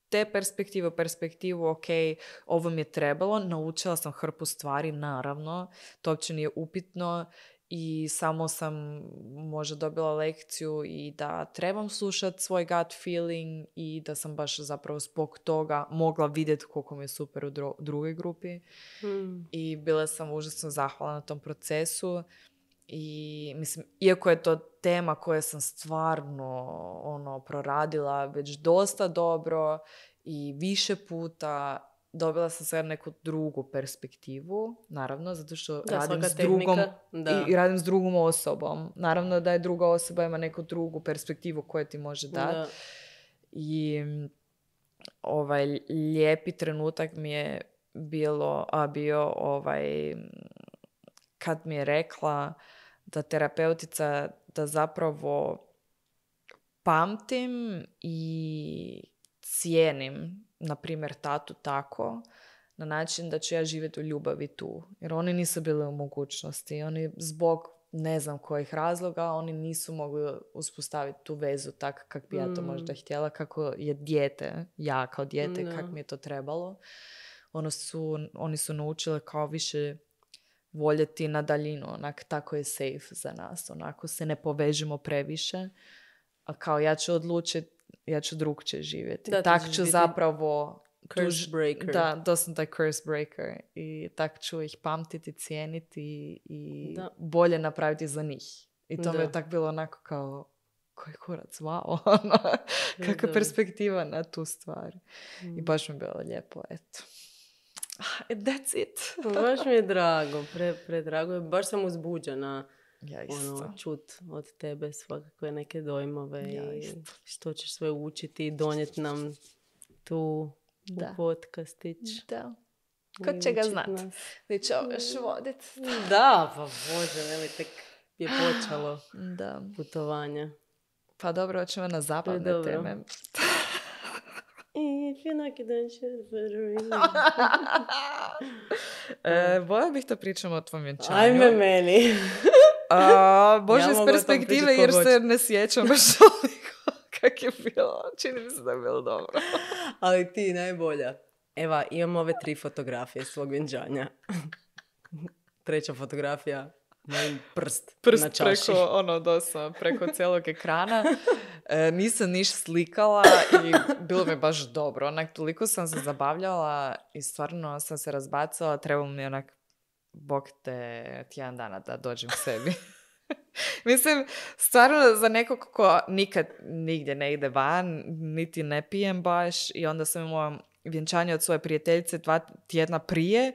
te perspektive u perspektivu, ok, ovo mi je trebalo, naučila sam hrpu stvari, naravno, to uopće nije upitno. I samo sam možda dobila lekciju i da trebam slušati svoj gut feeling i da sam baš zapravo zbog toga mogla vidjeti koliko mi je super u drugoj grupi. I bila sam užasno zahvalna na tom procesu. I mislim, iako je to tema koju sam stvarno proradila već dosta dobro i više puta, dobila sam sad neku drugu perspektivu, naravno, zato što radim s drugom i radim s drugom osobom. Naravno da je druga osoba ima neku drugu perspektivu koju ti može dati. I lijepi trenutak mi je bio kad mi je rekla da terapeutica da zapravo pamtim i cijenim na primjer tatu tako, na način da ću ja živjeti u ljubavi tu. Jer oni nisu bili u mogućnosti. Oni zbog ne znam kojih razloga, oni nisu mogli uspostaviti tu vezu tako kak bi ja to možda htjela, kako je dijete, ja kao dijete, kak mi je to trebalo. Oni su naučili kao više voljeti na daljinu, onak tako je safe za nas, onako se ne povežemo previše, a kao ja ću odlučiti, ja ću drugčije živjeti. Tak ću zapravo curse breaker. Da, doslovno taj curse breaker. I tak ću ih pamtiti, cijeniti i bolje napraviti za njih. I to mi je tak bilo onako kao, koji kurac, wow. Kakva perspektiva na tu stvar. I baš mi je bilo lijepo, eto. That's it. Baš mi je drago, predrago. Baš sam uzbuđena. Ja isto. Čut od tebe svakakve neke dojmove i što ćeš sve učiti i donijeti nam tu u podcastić. Da. Ko će ga znat? Ti će ovo još vodit. Da, pa Bože, veli, tek je počelo putovanje. Pa dobro, hoćemo na zabavne teme. If you're not gonna share Volja bih da pričamo o tvom vjenčanju. Ajme meni. Bože, iz perspektive, jer se ne sjećam baš toliko kak je bilo. Čini mi se da je bilo dobro. Ali ti najbolja. Eva, imam ove 3 fotografije svog vjenčanja. 3. fotografija, moj prst na čaši. Preko cijelog ekrana. Nisam niš slikala i bilo mi baš dobro. Onak, toliko sam se zabavljala i stvarno sam se razbacala. Trebalo mi onak, bog te tjedan dana da dođem sebi. Mislim, stvarno za nekog ko nikad nigdje ne ide van, niti ne pijem baš i onda sam imala vjenčanje od svoje prijateljice 2 tjedna prije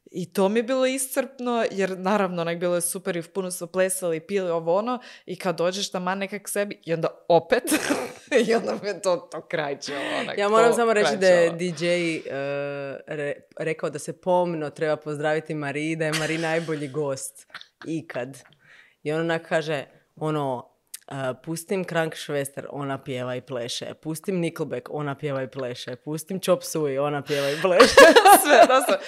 i to mi je bilo iscrpno jer naravno onak bilo je super i puno smo plesali i pili ovo ono i kad dođeš taman nekak sebi i onda opet i onda mi je to krajčilo. Ja moram samo reći da je DJ rekao da se pomno treba pozdraviti Mariji, da je Mariji najbolji gost ikad. I on onak kaže, pustim Krankšvester, ona pjeva i pleše. Pustim Nickelback, ona pjeva i pleše. Pustim Chop Suey, ona pjeva i pleše. Sve, doslovno.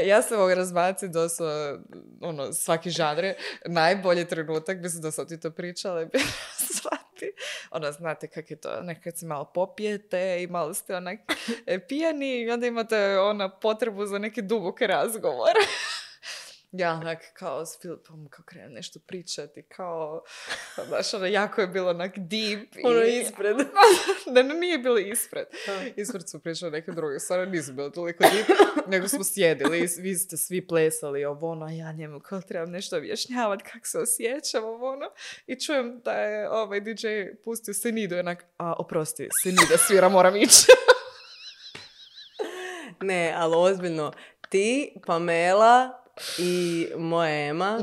Ja se mogu razbaciti doslovno, svaki žanr. Najbolji trenutak, mislim da sam ti to pričala, je shvati. Znate kak je to, nekad se malo popijete i malo ste onak pijani i onda imate potrebu za neki dubok razgovor. ja onak kao s Filipom kao krenem nešto pričati, kao, znaš, ono, jako je bilo onak deep. Ono ispred. Ne, nije bilo ispred. Ispred smo pričali neke druge stvari, nisu bilo toliko deep, nego smo sjedili, vi ste svi plesali ovo, ono, a ja njemu kao trebam nešto objašnjavati kako se osjećam, ovo, ono, i čujem da je ovaj DJ pustio Senidu, onak, oprosti, Senida svira, moram ići. Ne, ali ozbiljno, ti, Pamela i moja Ema,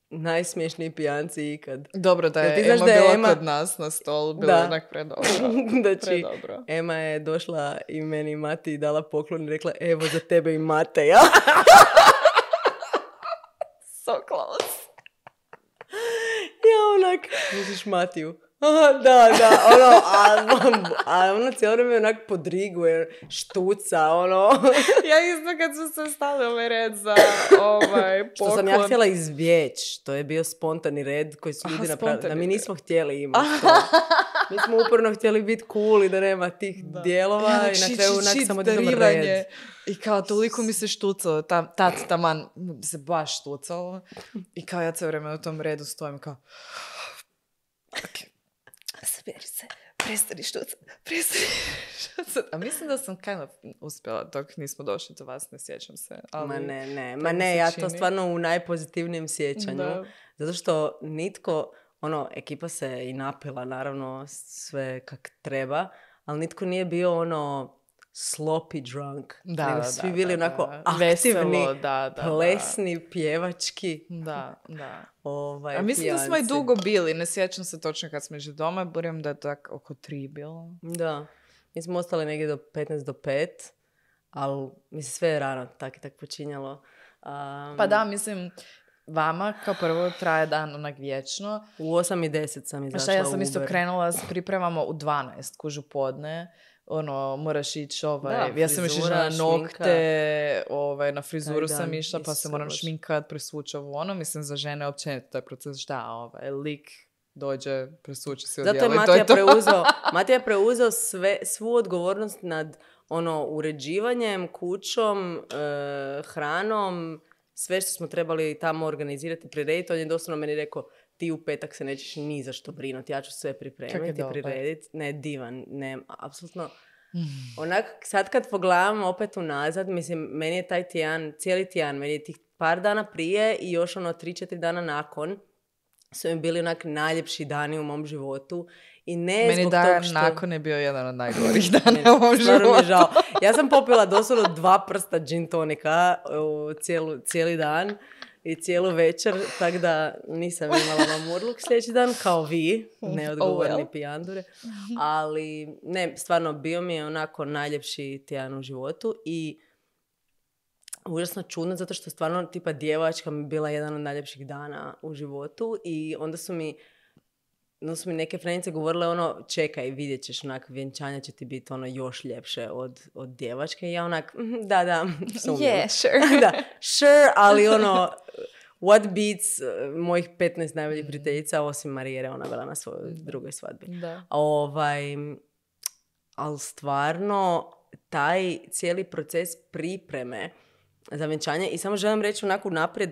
najsmješniji pijanci ikad. Dobro da je Ema bila kod nas na stolu, bilo je onak predobro. Predobro. Ema je došla i meni i Mati i dala poklon i rekla, evo za tebe i Mateja. So close. Ja onak, misliš Matiju? Da, ono, a ono cijelo vrijeme onak podriguje, štuca, ono. Ja isto kad su se stali ovaj red za poklon. Što sam ja htjela izvjeć, to je bio spontani red koji su ljudi napravili, da mi nismo htjeli imati to. Mi smo uporno htjeli biti cool i da nema tih dijelova i na kraju onak samo idemo red. I kao toliko mi se štucalo, taman se baš štucalo. I kao ja cijelo vrijeme u tom redu stojim kao... Okay. Saberi se, prestani štucat. A mislim da sam kind of uspjela dok nismo došli do vas, ne sjećam se. Ali Ma ne, ja to stvarno u najpozitivnijem sjećanju. Da. Zato što nitko, ekipa se i napila, naravno, sve kak treba, ali nitko nije bio sloppy drunk. Nego svi bili onako aktivni, veselo, plesni, pjevački. Da. A mislim pijanci. Da smo i dugo bili, ne sjećam se točno kad smo išli doma, budujem da je tako oko 3 bilo. Da, mi smo ostali negdje do 15 do 5, ali mislim sve je rano tak i tak počinjalo. Pa da, mislim, vama kao prvo traje dan onak vječno. U 8:10 sam izašla u Uber. Ja sam isto krenula, pripremamo u 12, kužu podne. Moraš ići ja sam još išla na nokte, na frizuru sam išla, pa se moram šminkat, presvući mislim za žene općenito taj proces, lik dođe, presvući se odjela i to je to. Matija je preuzeo svu odgovornost nad uređivanjem, kućom, hranom, sve što smo trebali tamo organizirati, prirediti. On je doslovno meni rekao, ti u petak se nećeš ni za što brinuti, ja ću sve pripremiti, prirediti. Ne, divan, ne, apsolutno. Onak, sad kad pogledam opet unazad, mislim, meni je taj tjedan, cijeli tjedan, meni je tih par dana prije i još 3-4 dana nakon su mi bili onak najljepši dani u mom životu. I ne meni zbog dan što... nakon je bio jedan od najgorih dana u mom životu. Mi je žao. Ja sam popila doslovno 2 prsta gin tonika cijeli dan i cijelu večer, tako da nisam imala mamurluk sljedeći dan, kao vi, neodgovorni pijandure. Ali ne, stvarno, bio mi je onako najljepši tjedan u životu i užasno čudno, zato što stvarno tipa djevojačka mi bila jedan od najljepših dana u životu i onda su mi neke frenice govorile čekaj, vidjet ćeš, vjenčanje će ti biti još ljepše od djevačke i ja da, yeah, sure. Da, sure, ali what beats mojih 15 najboljih prijateljica, osim Marijere, ona bila na svojoj drugoj svadbi. Da. Ali stvarno, taj cijeli proces pripreme za vjenčanje, i samo želim reći naprijed,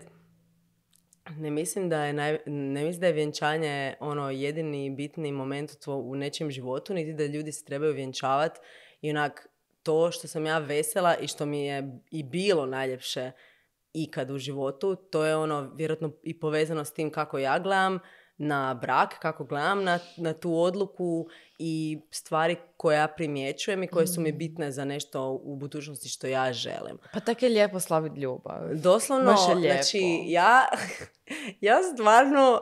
ne mislim da je vjenčanje jedini bitni moment u nečijem životu, niti da ljudi se trebaju vjenčavati. I to što sam ja vesela i što mi je i bilo najljepše ikad u životu, to je vjerojatno i povezano s tim kako ja gledam na brak, kako gledam na tu odluku i stvari koje ja primjećujem i koje su mi bitne za nešto u budućnosti što ja želim. Pa tako je lijepo slaviti ljubav. Doslovno, znači ja stvarno,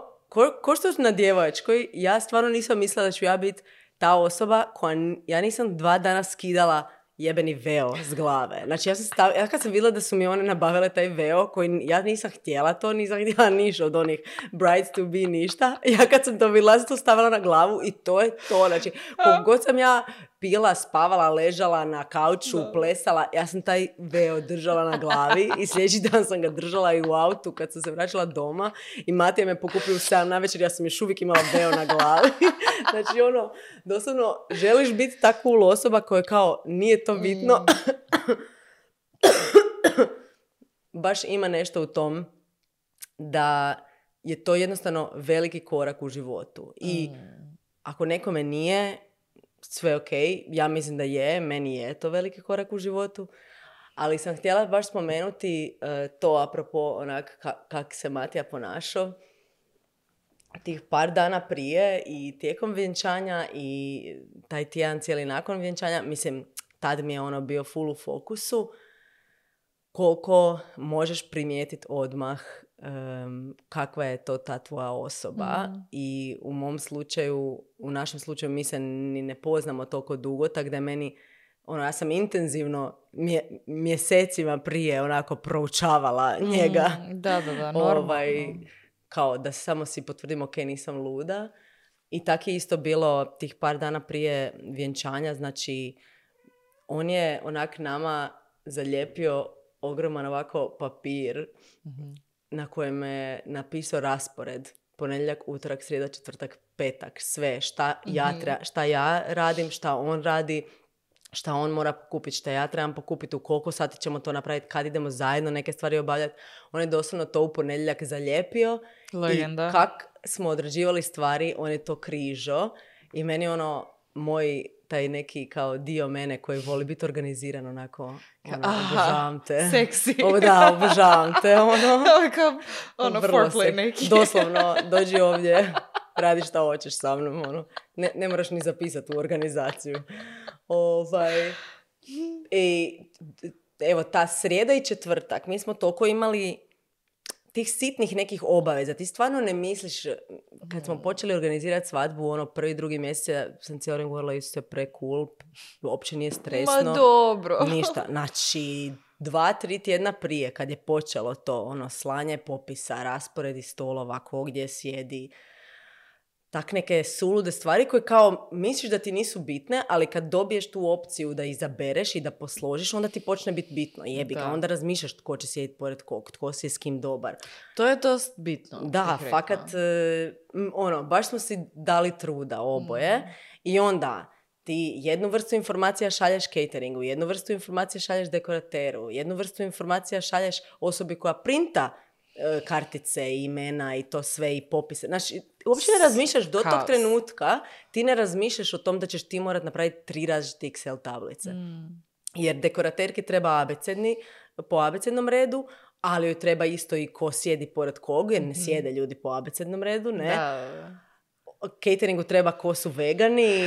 ko što na djevojačkoj, ja stvarno nisam mislila da ću ja biti ta osoba koja, ja nisam 2 dana skidala jebeni veo s glave. Znači ja kad sam vidjela da su mi one nabavile taj veo koji ja nisam htjela to, nisam htjela ništa od onih brides to be ništa. Ja kad sam to vidjela, sam to stavila na glavu i to je to. Znači, kogod sam ja pila, spavala, ležala na kauču, plesala, ja sam taj veo držala na glavi i sljedeći dan sam ga držala i u autu kad sam se vraćala doma i Matija me pokupio u 7 navečer, ja sam još uvijek imala veo na glavi. Znači doslovno, želiš biti ta cool osoba koja kao nije to bitno. baš ima nešto u tom da je to jednostavno veliki korak u životu. I ako nekome nije sve ok, ja mislim da je, meni je to veliki korak u životu, ali sam htjela baš spomenuti to apropo onak kak se Matija ponašao tih par dana prije i tijekom vjenčanja i taj tjedan cijeli nakon vjenčanja. Mislim, tad mi je ono bio full u fokusu. Koliko možeš primijetiti odmah kakva je to ta tvoja osoba. I u mom slučaju, u našem slučaju mi se ni ne poznamo toliko dugo, tako da je meni, ja sam intenzivno mjesecima prije onako proučavala njega. Da, normalno. Kao da samo si potvrdim, ok, nisam luda. I tako je isto bilo tih par dana prije vjenčanja. Znači, on je onak nama zalijepio ogroman ovako papir na kojem je napisao raspored. Ponedjeljak, utorak, srijeda, četvrtak, petak. Sve. Šta ja radim, šta on radi, šta on mora pokupiti, šta ja trebam pokupiti, u koliko sati ćemo to napraviti, kad idemo zajedno neke stvari obavljati. On je doslovno to u ponedjeljak zalijepio. Legenda. I kak smo odrađivali stvari, on je to križo. I meni moj taj neki kao dio mene koji voli biti organiziran onako, obožavam te. Seksi. Da, obožavam te. Foreplay neki. Doslovno, dođi ovdje, radi šta hoćeš sa mnom. Ne moraš ni zapisati u organizaciju. I evo, ta srijeda i četvrtak, mi smo toliko imali tih sitnih nekih obaveza. Ti stvarno ne misliš, kad smo počeli organizirati svadbu, prvi, drugi mjesec, sam cijelo vrijeme govorila, isto je pre-cool, uopće nije stresno. Ma dobro. Ništa. Znači, 2-3 tjedna prije, kad je počelo to, slanje popisa, rasporedi stolova, ko gdje sjedi, tak neke sulude stvari koje kao misliš da ti nisu bitne, ali kad dobiješ tu opciju da izabereš i da posložiš, onda ti počne biti bitno. Jebi ga, onda razmišljaš tko će sjediti pored kog, tko si je s kim dobar. To je dost bitno. Da, fakat, baš smo si dali truda oboje. I onda ti jednu vrstu informacija šalješ cateringu, jednu vrstu informacija šalješ dekorateru, jednu vrstu informacija šalješ osobi koja printa kartice, imena i to sve i popise. Znači, uopće ne razmišljaš do tog trenutka, ti ne razmišljaš o tom da ćeš ti morat napraviti 3 različite Excel tablice. Jer dekoraterki treba po abecednom redu, ali joj treba isto i ko sjedi pored kog, jer ne sjede ljudi po abecednom redu, ne? Da. Cateringu treba ko su vegani,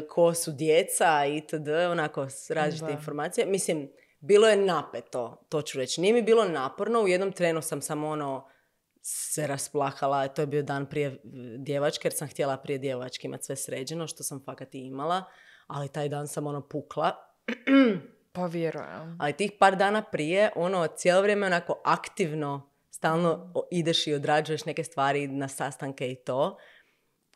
ko su djeca itd. Onako, različite informacije. Mislim, bilo je napeto, to ću reći. Nije mi bilo naporno, u jednom trenu sam samo se rasplahala, to je bio dan prije djevačke, jer sam htjela prije djevačke imati sve sređeno, što sam fakat i imala, ali taj dan sam pukla. Pa vjerujem. Ali tih par dana prije, cijelo vrijeme onako aktivno, stalno ideš i odrađuješ neke stvari na sastanke i to.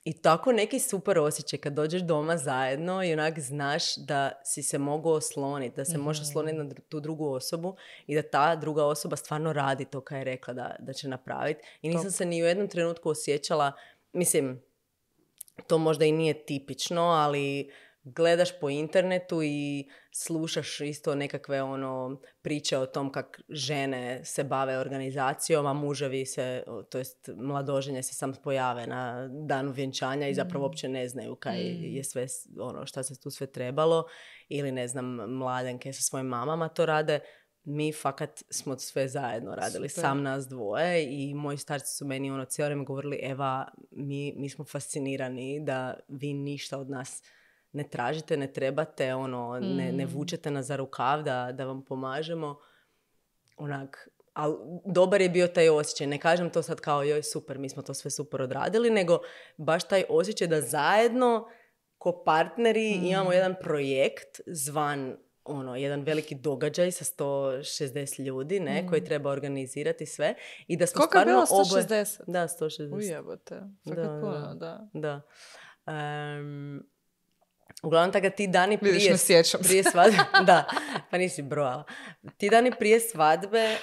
I tako neki super osjećaj kad dođeš doma zajedno i onak znaš da si se mogu osloniti, da se možeš osloniti na tu drugu osobu i da ta druga osoba stvarno radi to kaj je rekla da će napraviti. I nisam se ni u jednom trenutku osjećala, mislim, to možda i nije tipično, ali gledaš po internetu i slušaš isto nekakve priče o tom kak žene se bave organizacijom, a muževi se, to jest mladoženje se sam pojave na danu vjenčanja i zapravo uopće ne znaju kaj je sve, šta se tu sve trebalo, ili ne znam, mladenke sa svojim mamama to rade. Mi fakat smo sve zajedno radili, super. Sam nas dvoje, i moji starci su meni cijelo vrijeme govorili, Eva, mi smo fascinirani da vi ništa od nas ne tražite, ne trebate, ne vučete nas za rukav da vam pomažemo. Ali dobar je bio taj osjećaj. Ne kažem to sad kao, joj super, mi smo to sve super odradili, nego baš taj osjećaj da zajedno ko partneri imamo jedan projekt zvan jedan veliki događaj sa 160 ljudi, koji treba organizirati sve. I da smo koliko je bilo 160? Da, 160. Ujebote. Fakat puno, da. Uglavnom, tako ti dani prije svadbe, da, pa nisi brojala. Ti dani prije svadbe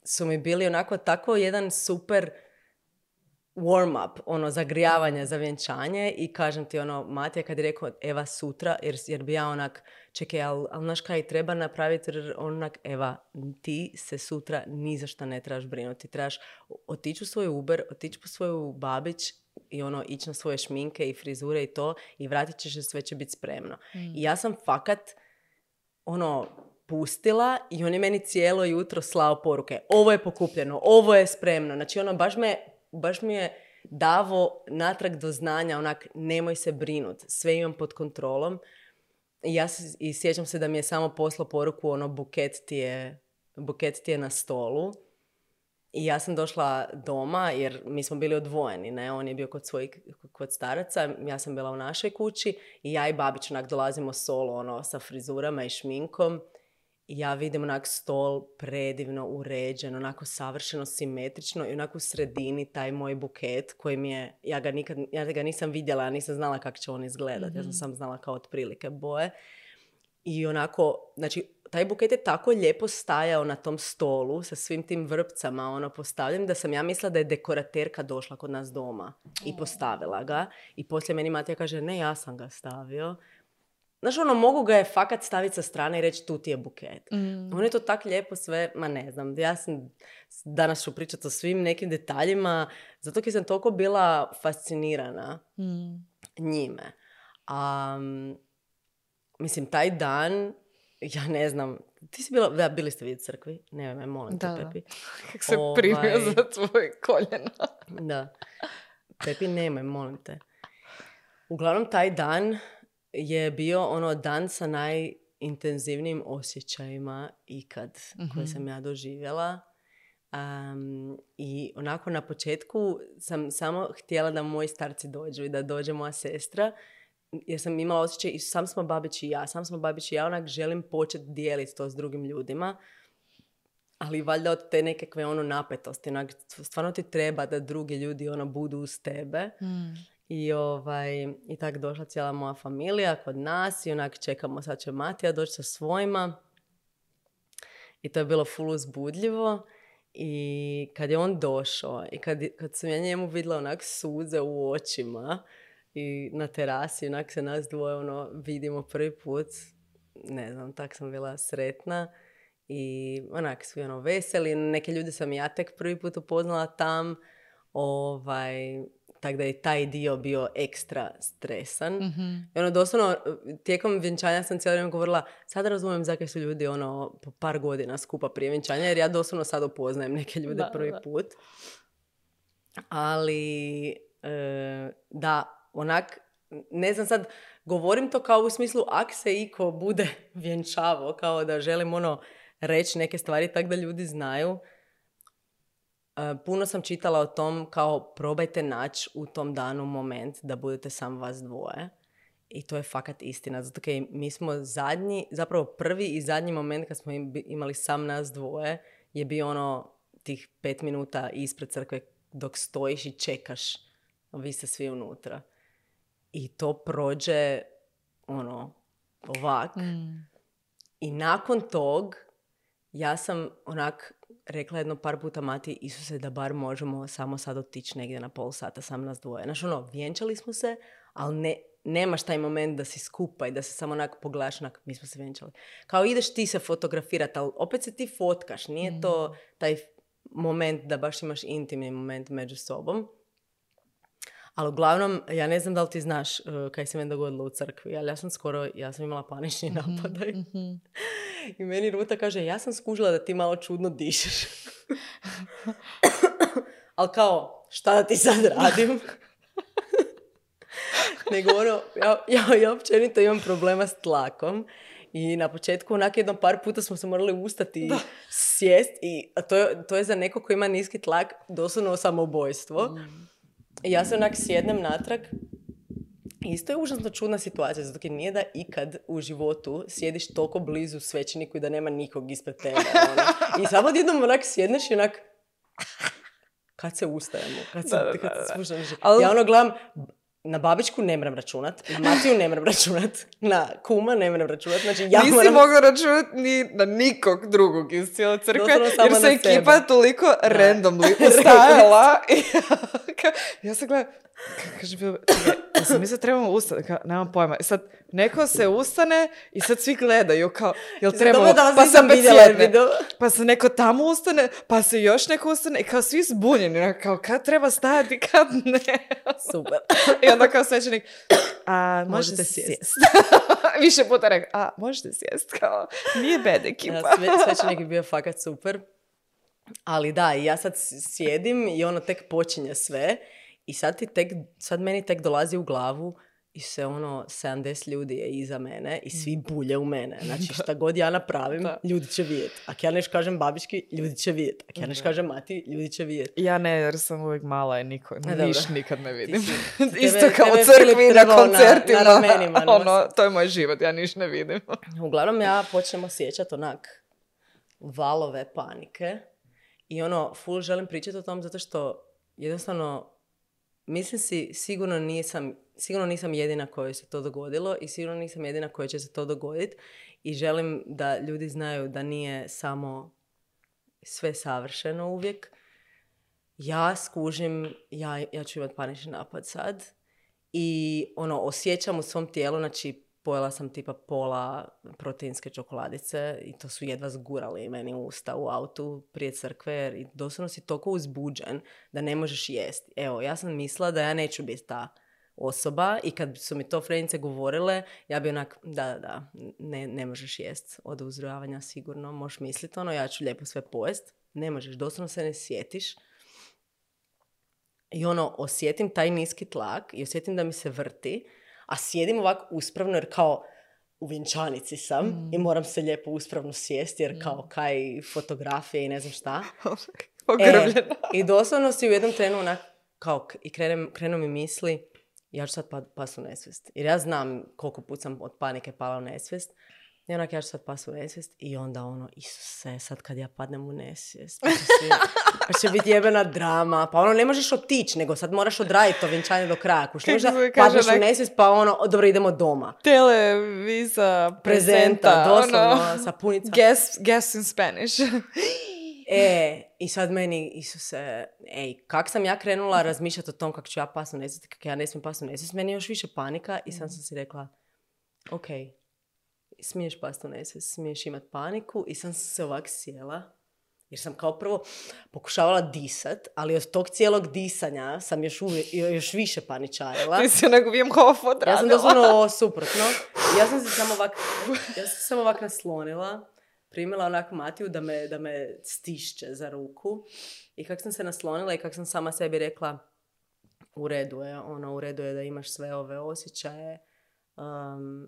su mi bili onako tako jedan super warm up, ono, zagrijavanje za vjenčanje i kažem ti, ono, Matija kad je rekao, Eva, sutra, jer bi ja onak, čekaj, ali znaš kaj treba napraviti, onak, Eva, ti se sutra ni za šta ne trebaš brinuti, trebaš otići u svoj Uber, otići po svoju babić i ono, ići na svoje šminke i frizure i to i vratit ćeš se, sve će biti spremno. I ja sam fakat, ono, pustila i on je meni cijelo jutro slao poruke. Ovo je pokupljeno, ovo je spremno. Znači, ono, baš mi je davo natrag do znanja, onak, nemoj se brinut, sve imam pod kontrolom. I sjećam se da mi je samo poslao poruku, ono, buket ti je na stolu. I ja sam došla doma, jer mi smo bili odvojeni, ne? On je bio kod staraca, ja sam bila u našoj kući i ja i babić onak dolazimo solo, ono, sa frizurama i šminkom. I ja vidim onak stol predivno uređen, onako savršeno simetrično i onako u sredini taj moj buket koji mi je, ja ga nisam vidjela, ja nisam znala kako će on izgledati, ja sam samo znala kao otprilike boje. I onako, znači, taj buket je tako lijepo stajao na tom stolu sa svim tim vrpcama, ono, postavljen, da sam ja mislila da je dekoraterka došla kod nas doma i postavila ga. I poslije meni Matija kaže, ne, ja sam ga stavio. Znaš, ono, mogu ga je fakat staviti sa strane i reći, tu ti je buket. On je to tak lijepo sve, ma ne znam, ja sam, danas ću pričati o svim nekim detaljima, zato jer sam toliko bila fascinirana njime. Mislim, taj dan, ja ne znam, ti si bila, bili ste vi u crkvi? Ne, me molim te, Pepi. Kako se primio za tvoje koljena. Da. Pepi, nemoj, molim te. Uglavnom, taj dan je bio ono dan sa najintenzivnijim osjećajima ikad koje sam ja doživjela. I onako na početku sam samo htjela da moji starci dođu i da dođe moja sestra, jer sam imala osjećaj i sam smo babić i ja, onak želim početi dijeliti to s drugim ljudima, ali valjda od te nekakve ono napetosti, onak, stvarno ti treba da drugi ljudi ono budu uz tebe. I tako došla cijela moja familija kod nas i onak čekamo, sad će Matija doći sa svojima. I to je bilo full uzbudljivo. I kad je on došao i kad sam ja njemu vidjela onak suze u očima i na terasi, onak se nas dvoje ono vidimo prvi put, ne znam, tak sam bila sretna i onak svi ono veseli. Neke ljude sam ja tek prvi put upoznala tam, tako da je taj dio bio ekstra stresan. I ono, doslovno, tijekom vjenčanja sam cijelo vrijeme govorila, sad razumijem zakaj su ljudi ono, po par godina skupa prije vjenčanja, jer ja doslovno sad upoznajem neke ljude prvi put. Ali, da, onak, ne znam sad, govorim to kao u smislu, ak se iko bude vjenčavao, kao da želim ono reći neke stvari tako da ljudi znaju. Puno sam čitala o tom kao probajte naći u tom danu moment da budete sam vas dvoje. I to je fakat istina. Zato kaj mi smo zapravo prvi i zadnji moment kad smo imali sam nas dvoje je bio ono tih 5 minuta ispred crkve dok stojiš i čekaš. Vi ste svi unutra. I to prođe ono ovak. I nakon tog ja sam onak rekla jedno par puta Mati, Isuse, da bar možemo samo sad otići negdje na pol sata sam nas dvoje. Znaš, ono, vjenčali smo se, ali nemaš taj moment da si skupa i da se samo onak pogledaš, onak, mi smo se vjenčali. Kao ideš ti se fotografirati, ali opet se ti fotkaš. Nije to taj moment da baš imaš intimni moment među sobom. Ali uglavnom, ja ne znam da li ti znaš kaj se meni dogodilo u crkvi, ali ja sam imala panični napadaj. I meni Ruta kaže, ja sam skužila da ti malo čudno dišeš. Ali kao, šta da ti sad radim? Nego ono, ja općenito imam problema s tlakom. I na početku, onak jedno par puta smo se morali ustati i sjest. I to je za neko ko ima niski tlak doslovno samoubojstvo. I ja se onak sjednem natrag. Isto je užasno čudna situacija, zato jer nije da ikad u životu sjediš toliko blizu svećeniku i da nema nikog ispred tebe. Ono. I samo odjednom onak sjedneš i onak, kad se ustajemo, kad se spuštaš. Ja ono gledam, na babičku ne moram računat, na Matiju ne moram računat, na kuma ne moram računat, znači ja nisi mogla računat ni na nikog drugog iz cijele crkve, jer se ekipa toliko randomly ustajala. Ja sam gledala, kaže, ja sam mislila trebamo ustati, nemam pojma. I sad neko se ustane i sad svi gledaju kao, jel trebamo, pa sam sjedne, pa se neko tamo ustane, pa se još neko ustane i kao svi zbunjeni, kao kad treba stajati, kad ne. Super. I onda kao svećenik, možete sjest. Više puta rekao, možete sjest, kao, nije bad ekipa. Svećenik je bio fakat super. Ali da, ja sad sjedim i ono tek počinje sve. I sad meni tek dolazi u glavu i se 70 ljudi je iza mene i svi bulje u mene. Znači šta god ja napravim, ljudi će vidjeti. Ako ja nešto kažem babički, ljudi će vidjeti. Ako ja nešto kažem mati, ljudi će vidjeti. Ja ne, jer sam uvijek mala i niš nikad ne vidim. Isto kao u crkvi na koncertima. Na ramenima. To je moj život, ja niš ne vidim. Uglavnom ja počnem osjećati onak valove panike i full želim pričati o tom zato što jednostavno mislim si, sigurno nisam jedina kojoj se to dogodilo i sigurno nisam jedina kojoj će se to dogoditi i želim da ljudi znaju da nije samo sve savršeno uvijek. Ja skužim, ja ću imati panični napad sad i osjećam u svom tijelu, znači pojela sam tipa pola proteinske čokoladice i to su jedva zgurali meni u usta u autu prije crkve jer doslovno si toliko uzbuđen da ne možeš jesti. Evo, ja sam mislila da ja neću biti ta osoba i kad su mi to frenice govorile, ja bi onak, da, ne možeš jesti od uzrojavanja sigurno, možeš misliti ja ću lijepo sve pojest. Ne možeš, doslovno se ne sjetiš. I osjetim taj niski tlak i osjetim da mi se vrti, a sjedim ovako uspravno jer kao u vjenčanici sam i moram se lijepo uspravno sjesti jer kao kaj fotografije i ne znam šta. I doslovno si u jednom trenu onak kao i krenu mi misli ja ću sad pas u nesvijest. Jer ja znam koliko put sam od panike pala u nesvijest. I onak ja ću sad pas u nesvijest i onda Isuse, sad kad ja padnem u nesvijest, pa će biti jebena drama, pa ne možeš otići, nego sad moraš odraditi to vjenčanje do kraja. Kuš, ne možeš da padneš u nesvijest, pa dobro, idemo doma. Televisa, prezenta, doslovno, sapunica. Guess in Spanish. I sad meni, Isuse, kak sam ja krenula razmišljati o tom kako ću ja pas u nesvijest, kako ja ne smijem pas u nesvijest, meni je još više panika i sam si rekla, ok, smiješ pasti u nesvijest, smiješ imat paniku i sam se ovak sjela jer sam kao prvo pokušavala disat, ali od tog cijelog disanja sam još više paničarila. Ti si onak Wim Hof odradila. Ja sam doslovno suprotno. Ja sam se samo ovak naslonila, primila onak Matiju da me stišće za ruku i kak sam se naslonila i kak sam sama sebi rekla u redu je da imaš sve ove osjećaje,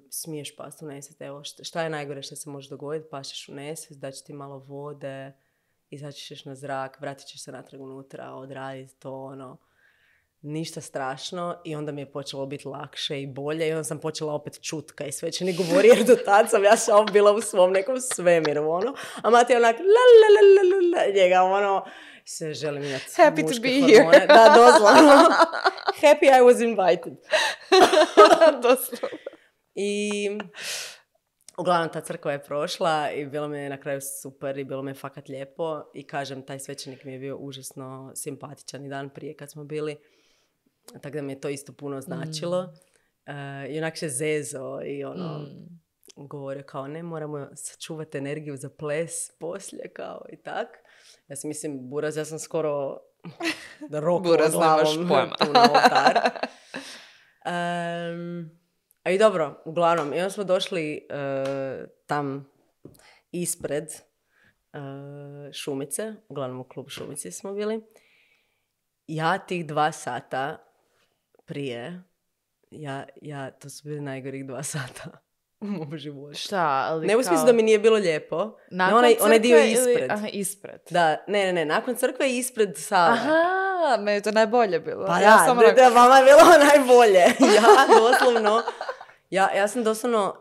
smiješ pasti u nesvijest. Evo, šta je najgore što se može dogoditi? Pašeš u nesvijest, daći ti malo vode, izaći ćeš na zrak, vratit ćeš se natrag unutra, odraditi to, ništa strašno. I onda mi je počelo biti lakše i bolje i onda sam počela opet čut kaj svećenik govori jer do tad sam ja samo bila u svom nekom svemiru, a Mati je onak njega, se želim imati happy muške to be hormone. Here. Da, doslovno. Happy I was invited. Doslovno. I uglavnom ta crkva je prošla i bilo mi je na kraju super i bilo mi je fakat lijepo i kažem, taj svećenik mi je bio užasno simpatičan i dan prije kad smo bili, tako da mi je to isto puno značilo. I onak se zezo i govorio kao ne, moramo sačuvati energiju za ples poslije kao i tak. Ja si mislim, buraz, ja sam skoro rokla glavom tu na oltar. A i dobro, uglavnom, i onda smo došli tam ispred Šumice, uglavnom u klubu Šumice smo bili. Ja tih 2 sata prije, to su bili najgorih 2 sata u mom životu. Šta? Ali ne u smislu da mi nije bilo lijepo. Onaj dio ispred. Aha, ispred. Da, ne, nakon crkve i ispred sale. Aha, meni je to najbolje bilo. Pa da, vama je bilo najbolje.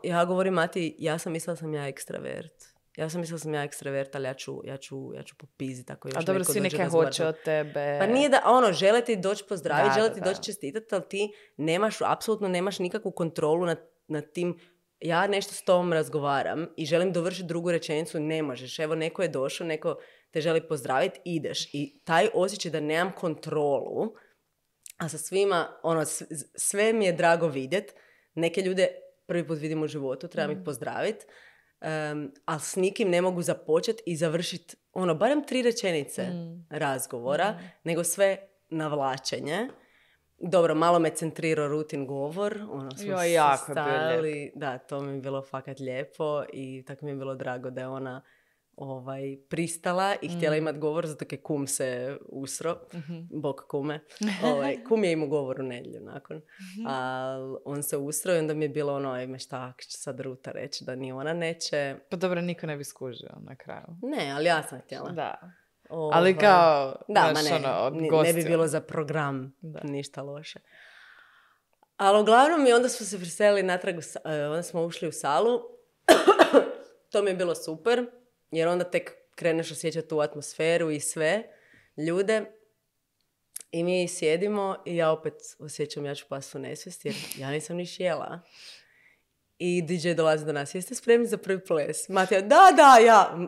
Ja govorim Mati, ja sam mislila da sam ja ekstravert. Ja sam mislila da sam ja ekstravert, ali ja ću popiziti ako još a dobro, neko svi dođe neke razgovarati. hoće od tebe. Pa nije da, žele ti doći pozdraviti, žele ti da. doći čestitati, ali ti apsolutno nemaš nikakvu kontrolu nad tim. Ja nešto s tom razgovaram i želim dovršiti drugu rečenicu, ne možeš. Evo, neko je došao, neko te želi pozdraviti, ideš. I taj osjećaj da nemam kontrolu, a sa svima, sve mi je drago vidjeti. Neke ljude prvi put vidim u životu, trebam ih pozdraviti, ali s nikim ne mogu započeti i završiti, barem 3 rečenice razgovora, nego sve navlačenje. Dobro, malo me centrirao rutin govor, smo jako stali, da, to mi je bilo fakat lijepo i tako mi je bilo drago da je ona pristala i htjela imati govor, zato je kum se usro, bog kume. Kum je imao govor u nedjelju nakon, ali on se usro i onda mi je bilo ime šta će sad Ruta reći, da ni ona neće. Pa dobro, niko ne bi skužio na kraju. Ne, ali ja sam htjela. Da. Ali kao, da, ne bi bilo za program ništa loše. Ali uglavnom i onda smo se preselili natrag, onda smo ušli u salu. To mi je bilo super, jer onda tek kreneš osjećati tu atmosferu i sve ljude. I mi sjedimo i ja opet osjećam ja ću pasti u nesvijest, jer ja nisam niš jela. I DJ dolazi do nas, jeste spremni za prvi ples? Matija, da, ja.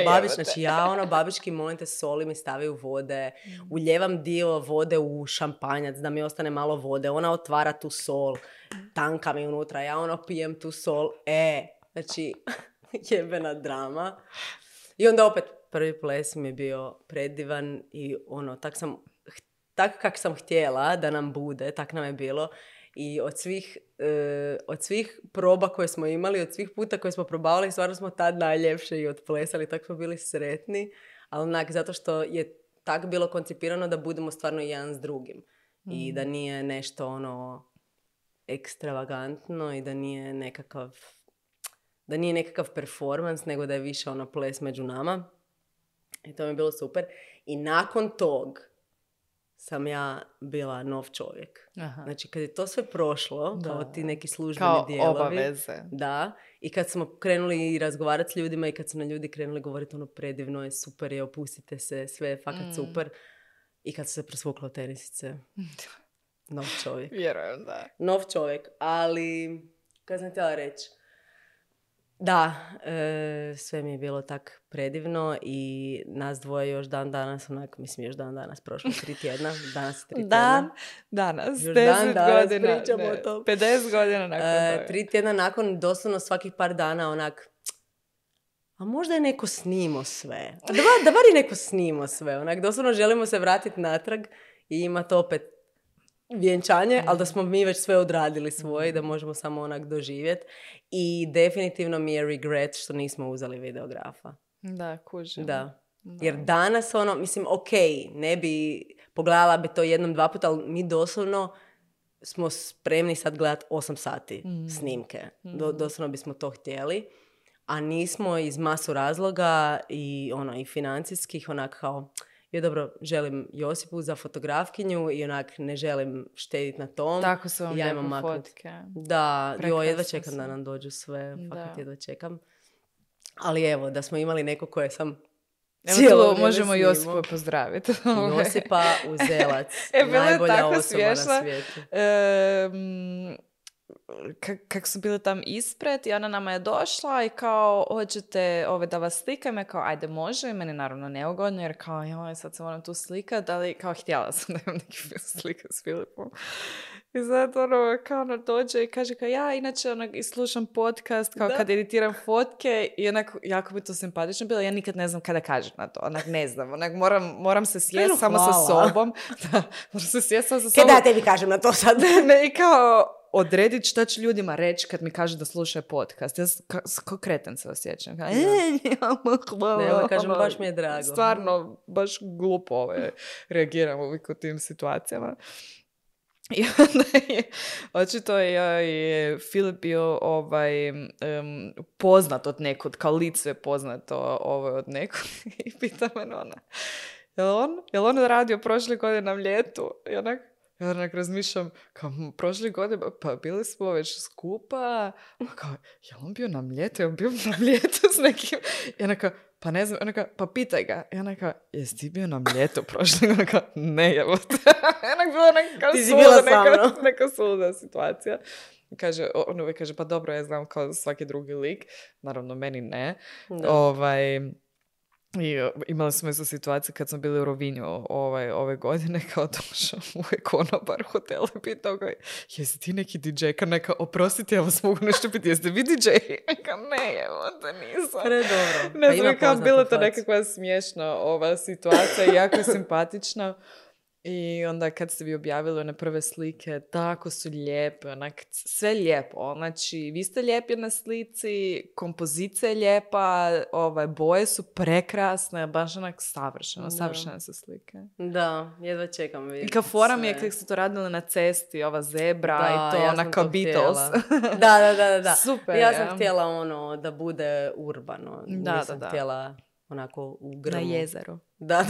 Babić, znači ja babički, molim te, soli mi stavaju vode, uljevam dio vode u šampanjac da mi ostane malo vode, ona otvara tu sol, tanka mi unutra, ja pijem tu sol, znači jebena drama. I onda opet prvi ples mi je bio predivan i tak kak sam htjela da nam bude, tak nam je bilo. I od svih proba koje smo imali, od svih puta koje smo probavali, stvarno smo tad najljepše i odplesali, tako smo bili sretni, ali zato što je tako bilo koncipirano da budemo stvarno jedan s drugim. I da nije nešto ekstravagantno i da nije nekakav performans, nego da je više ples među nama. I to mi je bilo super. I nakon tog sam ja bila nov čovjek. Aha. Znači, kad je to sve prošlo, kao ti neki službeni dijelovi. Kao obaveze. Da. I kad smo krenuli razgovarati s ljudima i kad su na ljudi krenuli govoriti predivno je, super je, opustite se, sve je fakat super. I kad su se presvukla tenisice. Nov čovjek. Vjerujem, da. Nov čovjek. Ali, kad sam htjela reći, da, sve mi je bilo tak predivno i nas dvoje još dan danas, još dan danas, prošlo 3 tjedna, danas 3 tjedna. Danas, još 10 godina, pričamo o tom. 50 godina nakon toga. 3 tjedna nakon, doslovno svakih par dana, a možda je neko snimo sve. Da bar je neko snimo sve, doslovno želimo se vratiti natrag i imati opet vjenčanje, ali da smo mi već sve odradili svoje i da možemo samo doživjeti. I definitivno mi je regret što nismo uzeli videografa. Da, kužim. Da. Jer danas ne bi, pogledala bi to 1-2 puta, ali mi doslovno smo spremni sad gledati 8 sati snimke. Doslovno bismo to htjeli. A nismo iz masu razloga i financijskih, kao... Ja dobro, želim Josipu za fotografkinju i ne želim štediti na tom. Tako su vam lijepo fotke. Da, jedva čekam da nam dođu sve. Fakat jedva čekam. Ali evo, da smo imali neko koje sam cijelo vrijeme možemo Josipu pozdraviti. Josipa Uzelac. Najbolja osoba na svijetu. Kako su bili tam ispred i ona nama je došla i kao, hoćete da vas slikam, je kao, ajde može, i meni naravno neugodno, jer kao, sad se moram tu slikat, ali kao, htjela sam da imam neki slika s Filipom. I zato kao ona dođe i kaže kao, ja inače i slušam podcast, kao kad editiram fotke i jako bi to simpatično bilo, ja nikad ne znam kada kažem na to, ne znam, moram se sjesti samo sa sobom. Da, moram se sjesti samo sa sobom. Kada ja tebi kažem na to sad? Ne, i kao odrediti šta ću ljudima reći kad mi kažu da slušaju podcast. Ja kao kreten se osjećam. Kao, ne, kažem, baš mi je drago. Stvarno, baš glupo reagiram uvijek u tim situacijama. I onda je, očito je Filip bio poznat od nekud, kao lice je poznato od nekud. I pita me ona, je li on radio prošle godine na ljetu? I onak, Ja onak razmišljam, kao prošle godine, pa bili smo već skupa, pa kao, je on bio na Mljetu? Je on bio na Mljetu s nekim? I onaka, pa ne znam, onaka, pa pitaj ga. I onaka, jesi ti bio na Mljetu prošle? Onaka, ne, evo te. Onak bilo neka suluda situacija. Kaže, on uvijek kaže, pa dobro, ja znam kao svaki drugi lik. Naravno, meni ne. I imali smo isto situaciju kad smo bili u Rovinju ove godine, kao došao uvijek konobar u hotelu i pitao ga, jesi ti neki DJ? Ka neka, oprostite, ja vas mogu nešto pitati, jeste vi DJ? Ka ne, evo te nisam. Predobro. Ne znam, kao bila to nekakva smiješna ova situacija, jako simpatična. I onda kad ste vi objavili one prve slike, tako su lijepe, onak, sve lijepo. Znači, vi ste lijepi na slici, kompozicija je lijepa, boje su prekrasne, baš onak savršene su slike. Da, jedva čekam vidjeti. I kao fora mi je kako ste to radili na cesti, ova zebra i to, ja ona kao Beatles. Da. Super. Ja sam htjela da bude urbano. Nisam htjela onako u grmu. Na jezeru. Da.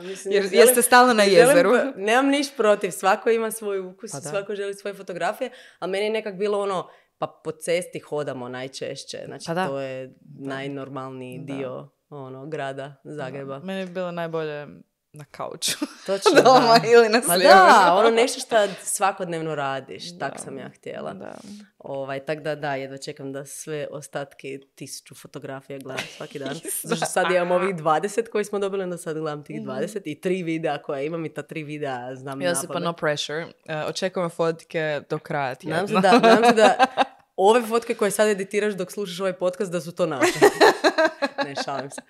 Mislim, jer ste stalno na jezeru. Nemam niš protiv. Svako ima svoj ukus, svako želi svoje fotografije, a meni je nekak bilo pa po cesti hodamo najčešće. Znači, to je najnormalniji dio grada Zagreba. Meni je bilo najbolje na kauču. Točno, doma ili na slijevu. Da, nešto što svakodnevno radiš. Tak sam ja htjela. Tako da, jedva čekam da sve ostatke 1000 fotografija gledam svaki dan. Zašto sad imam ovih 20 koji smo dobili, onda sad gledam tih 20 i 3 videa koje imam i ta 3 videa znam napamet. Josipa, no pressure. Očekujem fotke do kraja tjedna. Nadam se da ove fotke koje sad editiraš dok slušaš ovaj podcast da su to naše. Ne, šalim se.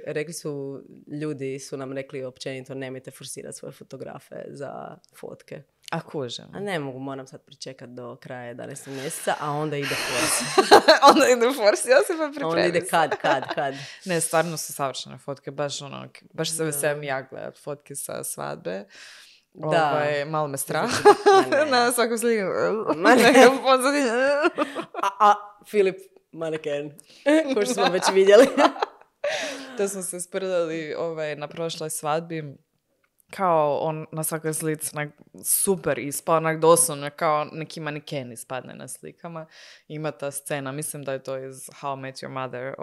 Rekli su ljudi su nam rekli općenito nemojte forsirati svoje fotografe za fotke. A kužem. A ne mogu, moram sad pričekati do kraja 11. mjeseca, a onda ide forsi. Onda ide forsi, ja se pa pripremim. Onda ide kad. Ne, stvarno su savršene fotke, baš se veselim ja gledat fotke sa svadbe. Malo me strah. Na svakom sliku. Filip maneken, ko što smo već vidjeli. To smo se sprdali na prošloj svadbi. Kao on na svakoj slici super ispao, doslovno kao neki maneken ispadne na slikama. Ima ta scena, mislim da je to iz How I Met Your Mother,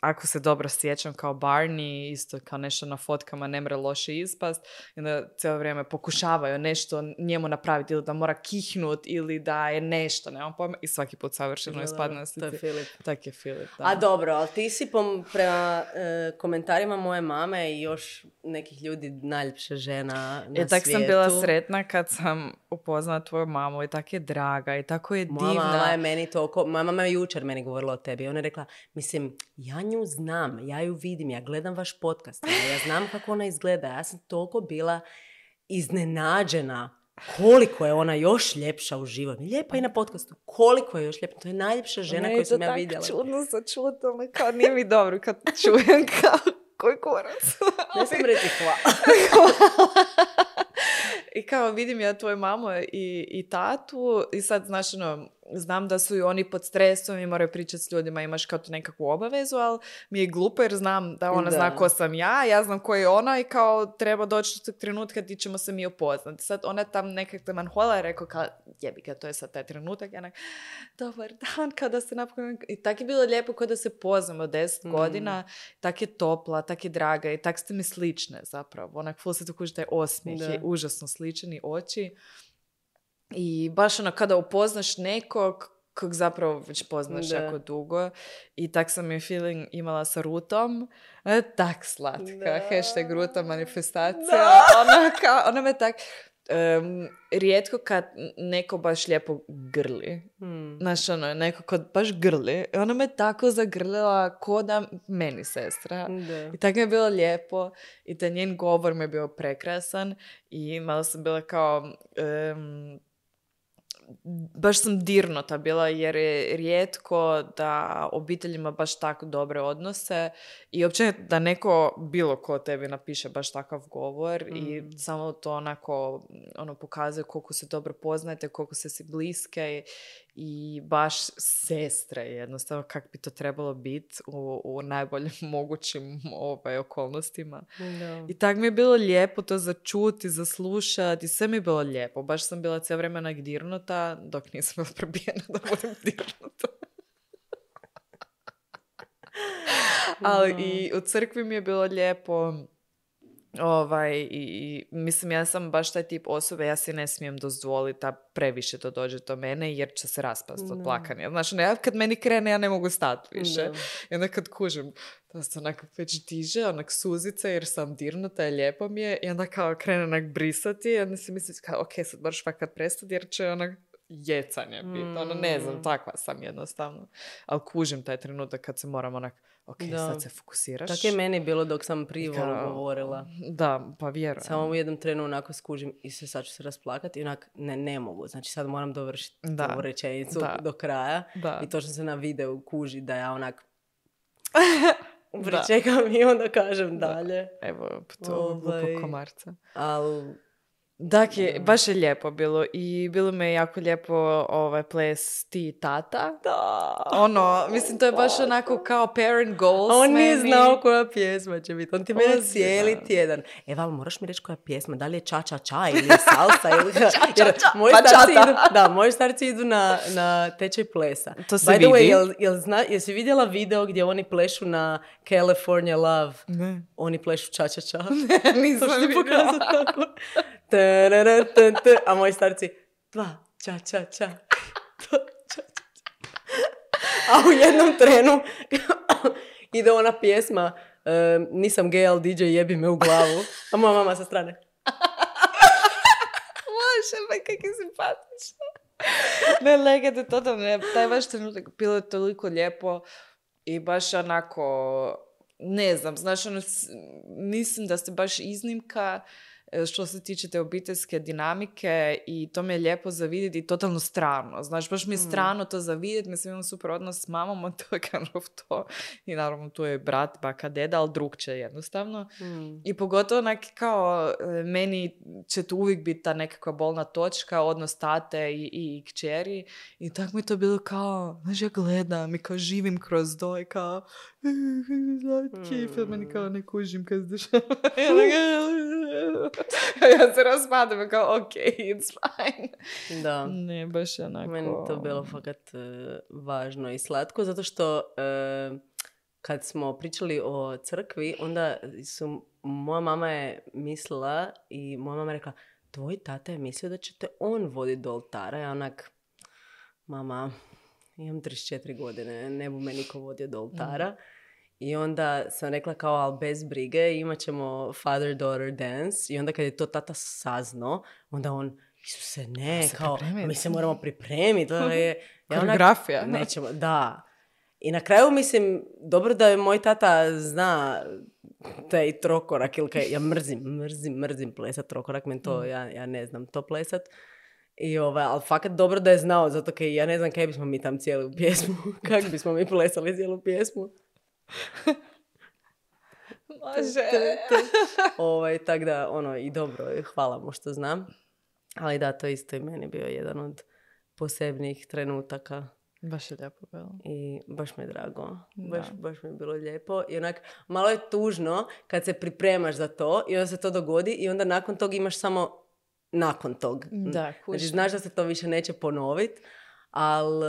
ako se dobro sjećam, kao Barney, isto kao nešto na fotkama ne mre loše ispast, i onda cijelo vrijeme pokušavaju nešto njemu napraviti, ili da mora kihnut, ili da je nešto, nemam pojma, i svaki put savršeno ispadne na slici. To je Filip. Tak je Filip, da. A dobro, ali ti si prema komentarima moje mame i još nekih ljudi najljepša žena na svijetu. Tak sam bila sretna kad sam upoznala tvoju mamu i tako je draga i tako je divna. Moja mama je meni toliko, moja mama je jučer meni govorila o tebi. Ona je rekla, mislim, ja nju znam, ja ju vidim, ja gledam vaš podcast, ja znam kako ona izgleda. Ja sam toliko bila iznenađena koliko je ona još ljepša u životu. Lijepa i na podcastu. Koliko je još ljepša. To je najljepša žena koju sam ja vidjela. Ne, to tako čudno začutilo me, kao nije mi dobro kad čujem kao koji kurac. Ne sam reći hvala. I kao vidim ja tvoju mamu i tatu i sad znam da su i oni pod stresom i moraju pričati s ljudima, imaš kao tu nekakvu obavezu, ali mi je glupo jer znam da ona zna ko sam ja znam ko je ona i kao treba doći do tog trenutka ti ćemo se mi upoznati. Sad ona tam nekako manhola je rekao kao jebi ga, to je sad taj trenutak. Ja dobar dan, kada se napokon... I tak je bilo lijepo kada se poznamo 10 godina, tak je topla, tak je draga i tak ste mi slične zapravo. Onak ful se tu kuži taj osmijeh, je užasno sličan i oči. I baš kada upoznaš nekog kog zapravo već poznaš jako dugo i tak sam je feeling imala sa Rutom, tak slatka, hashtag Ruta manifestacija, ona me tak rijetko kad neko baš lijepo grli, znaš neko kad baš grli, ona me tako zagrlila ko da meni sestra i tako mi je bilo lijepo i taj njen govor mi je bio prekrasan i malo sam bila kao baš sam dirnuta bila jer je rijetko da obitelj ima baš tako dobre odnose i općenito da neko, bilo ko tebi napiše baš takav govor i samo to onako pokazuje koliko se dobro poznajete, koliko se si bliske i baš sestre jednostavno kak bi to trebalo biti u najboljim mogućim okolnostima. Da. I tak mi je bilo lijepo to za čuti, za slušati i sve mi je bilo lijepo. Baš sam bila cijelo vremena dirnuta dok nisam bila prebijena da budem dirnuta. Ali i u crkvi mi je bilo lijepo. I mislim, ja sam baš taj tip osobe, ja si ne smijem dozvoliti da previše to dođe do mene jer će se raspasti od plakanja. Znači, kad meni krene, ja ne mogu stati više. I onda kad kužim, da se onako već diže, onak suzica jer sam dirnuta i lijepo mi je i onda kao krene onak brisati i onda si misli kao, ok, sad moraš fakat prestati jer će onak jecanje biti. Ne znam, takva sam jednostavno. Ali kužim taj trenutak kad se moram onak, ok, sad se fokusiraš. Tako je meni bilo dok sam privolu govorila. Da, pa vjerujem. Samo u jednom trenu onako skužim i sad ću se rasplakati i onak ne mogu. Znači sad moram dovršiti ovu rečenicu do kraja. Da. I točno se na videu kuži da ja onak pričekam i onda kažem dalje. Evo, to glupo komarca. Ali... Dakle, baš je lijepo bilo i bilo mi je jako lijepo ples ti i tata. Da. Mislim, to je baš onako kao parent goals. On nije znao koja pjesma će biti. On ti mene cijeli tjedan. Val, moraš mi reći koja pjesma? Da li je ča ča ča ili salsa? Ili... Jer moji starci idu na tečaj plesa. To se vidi. By the way, jesi vidjela video gdje oni plešu na California Love? Ne. Oni plešu ča ča ča. Ne, nisam vidjela. A moji starci 2, ča, ča, ča. A u jednom trenu ide ona pjesma nisam gay, ali DJ jebi me u glavu. A moja mama sa strane. Može, pa kak je simpatično. Ne, legate totalno. Taj vaš trenutak bilo je toliko lijepo i baš onako, ne znam, znaš, mislim da ste baš iznimka što se tiče te obiteljske dinamike i to mi je lijepo za vidjeti i totalno strano. Znaš, baš mi je strano to za vidjeti. Mislim, imam super odnos s mamom, to je kind of to. I naravno tu je brat, baka, deda, ali drugče jednostavno. I pogotovo kao meni će tu uvijek biti ta nekakva bolna točka, odnos tate i kćeri. I tako mi je to bilo kao, znaš, ja gledam i kao živim kroz to i kao meni kao ne kužim kad se dešava. Ja se raspadam kao, ok, it's fine. Da. Ne, baš onako... Meni to bilo fakat važno i slatko, zato što kad smo pričali o crkvi, onda moja mama je mislila i moja mama je rekla, tvoj tata je mislio da će te on voditi do oltara. Ja onak, mama, imam 34 godine, ne bu me niko vodio do oltara. I onda sam rekla kao, ali bez brige, imat ćemo father-daughter dance. I onda kad je to tata saznao, onda on, Isuse, ne, kao, mi se moramo pripremiti. Koreografija. Nećemo, da. I na kraju, mislim, dobro da je moj tata zna taj trokorak, ili kaj, ja mrzim plesat trokorak, meni to, ja ne znam to plesat. Ali fakat dobro da je znao, zato kaj ja ne znam kaj bismo mi tam cijelu pjesmu, kako bismo mi plesali cijelu pjesmu. Može. Tako da, i dobro, hvala mu što znam. Ali da, to isto i meni bio jedan od posebnih trenutaka. Baš je lijepo bilo. I baš mi je drago. Baš mi je bilo lijepo. I onak, malo je tužno kad se pripremaš za to i onda se to dogodi i onda nakon tog imaš samo nakon tog. Da, kužno. Znači, znaš da se to više neće ponoviti, ali...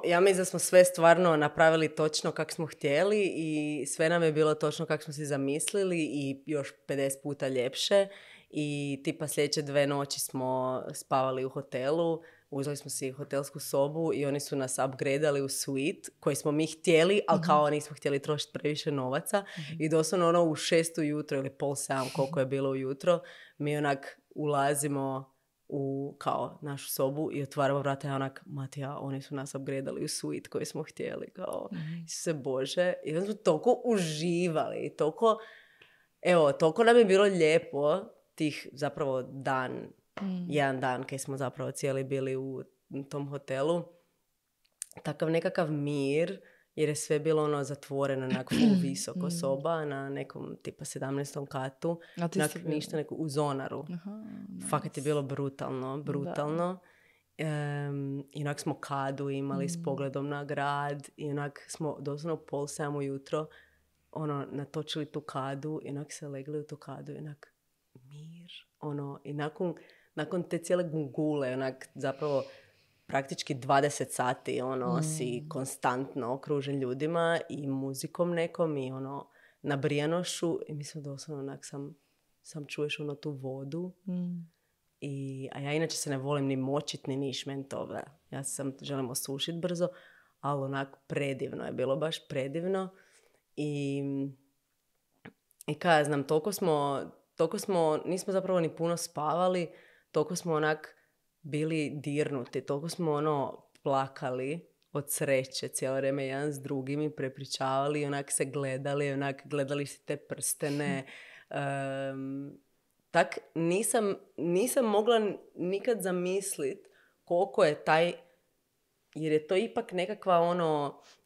ja mislim da smo sve stvarno napravili točno kako smo htjeli i sve nam je bilo točno kako smo si zamislili i još 50 puta ljepše. I tipa sljedeće 2 noći smo spavali u hotelu, uzeli smo si hotelsku sobu i oni su nas upgradeali u suite koji smo mi htjeli, ali kao nismo htjeli trošiti previše novaca. I doslovno u 6 ujutro ili 6:30 koliko je bilo ujutro, mi onak ulazimo u kao našu sobu i otvaramo vrata i onak, Matija, oni su nas upgradeali u suite koji smo htjeli, kao, Isuse Bože. I onda smo toliko uživali, toliko nam je bilo lijepo tih zapravo dan jedan dan kad smo zapravo cijeli bili u tom hotelu. Takav nekakav mir, jer je sve bilo ono zatvoreno, onako visoko soba na nekom tipa 17. katu. Ništa neko u zonaru. Fakat je bilo brutalno. I onak smo kadu imali s pogledom na grad i onak smo doslovno u 6:30 ujutro natočili tu kadu i onak se legli u tu kadu i onak mir. I nakon te cijele gungule, onak zapravo praktički 20 sati si konstantno okružen ljudima i muzikom nekom i nabrijanošću i mislim doslovno onak sam čuješ tu vodu. A ja inače se ne volim ni močit ni niš, meni to, ja želim osušit brzo, ali onak predivno je bilo, baš predivno. I kaj ja znam, toliko smo, nismo zapravo ni puno spavali, toliko smo onak bili dirnuti, toliko smo plakali od sreće cijelo vrijeme jedan s drugim i prepričavali, onak se gledali, onak gledali si te prstene. Tak nisam mogla nikad zamislit koliko je jer je to ipak nekakva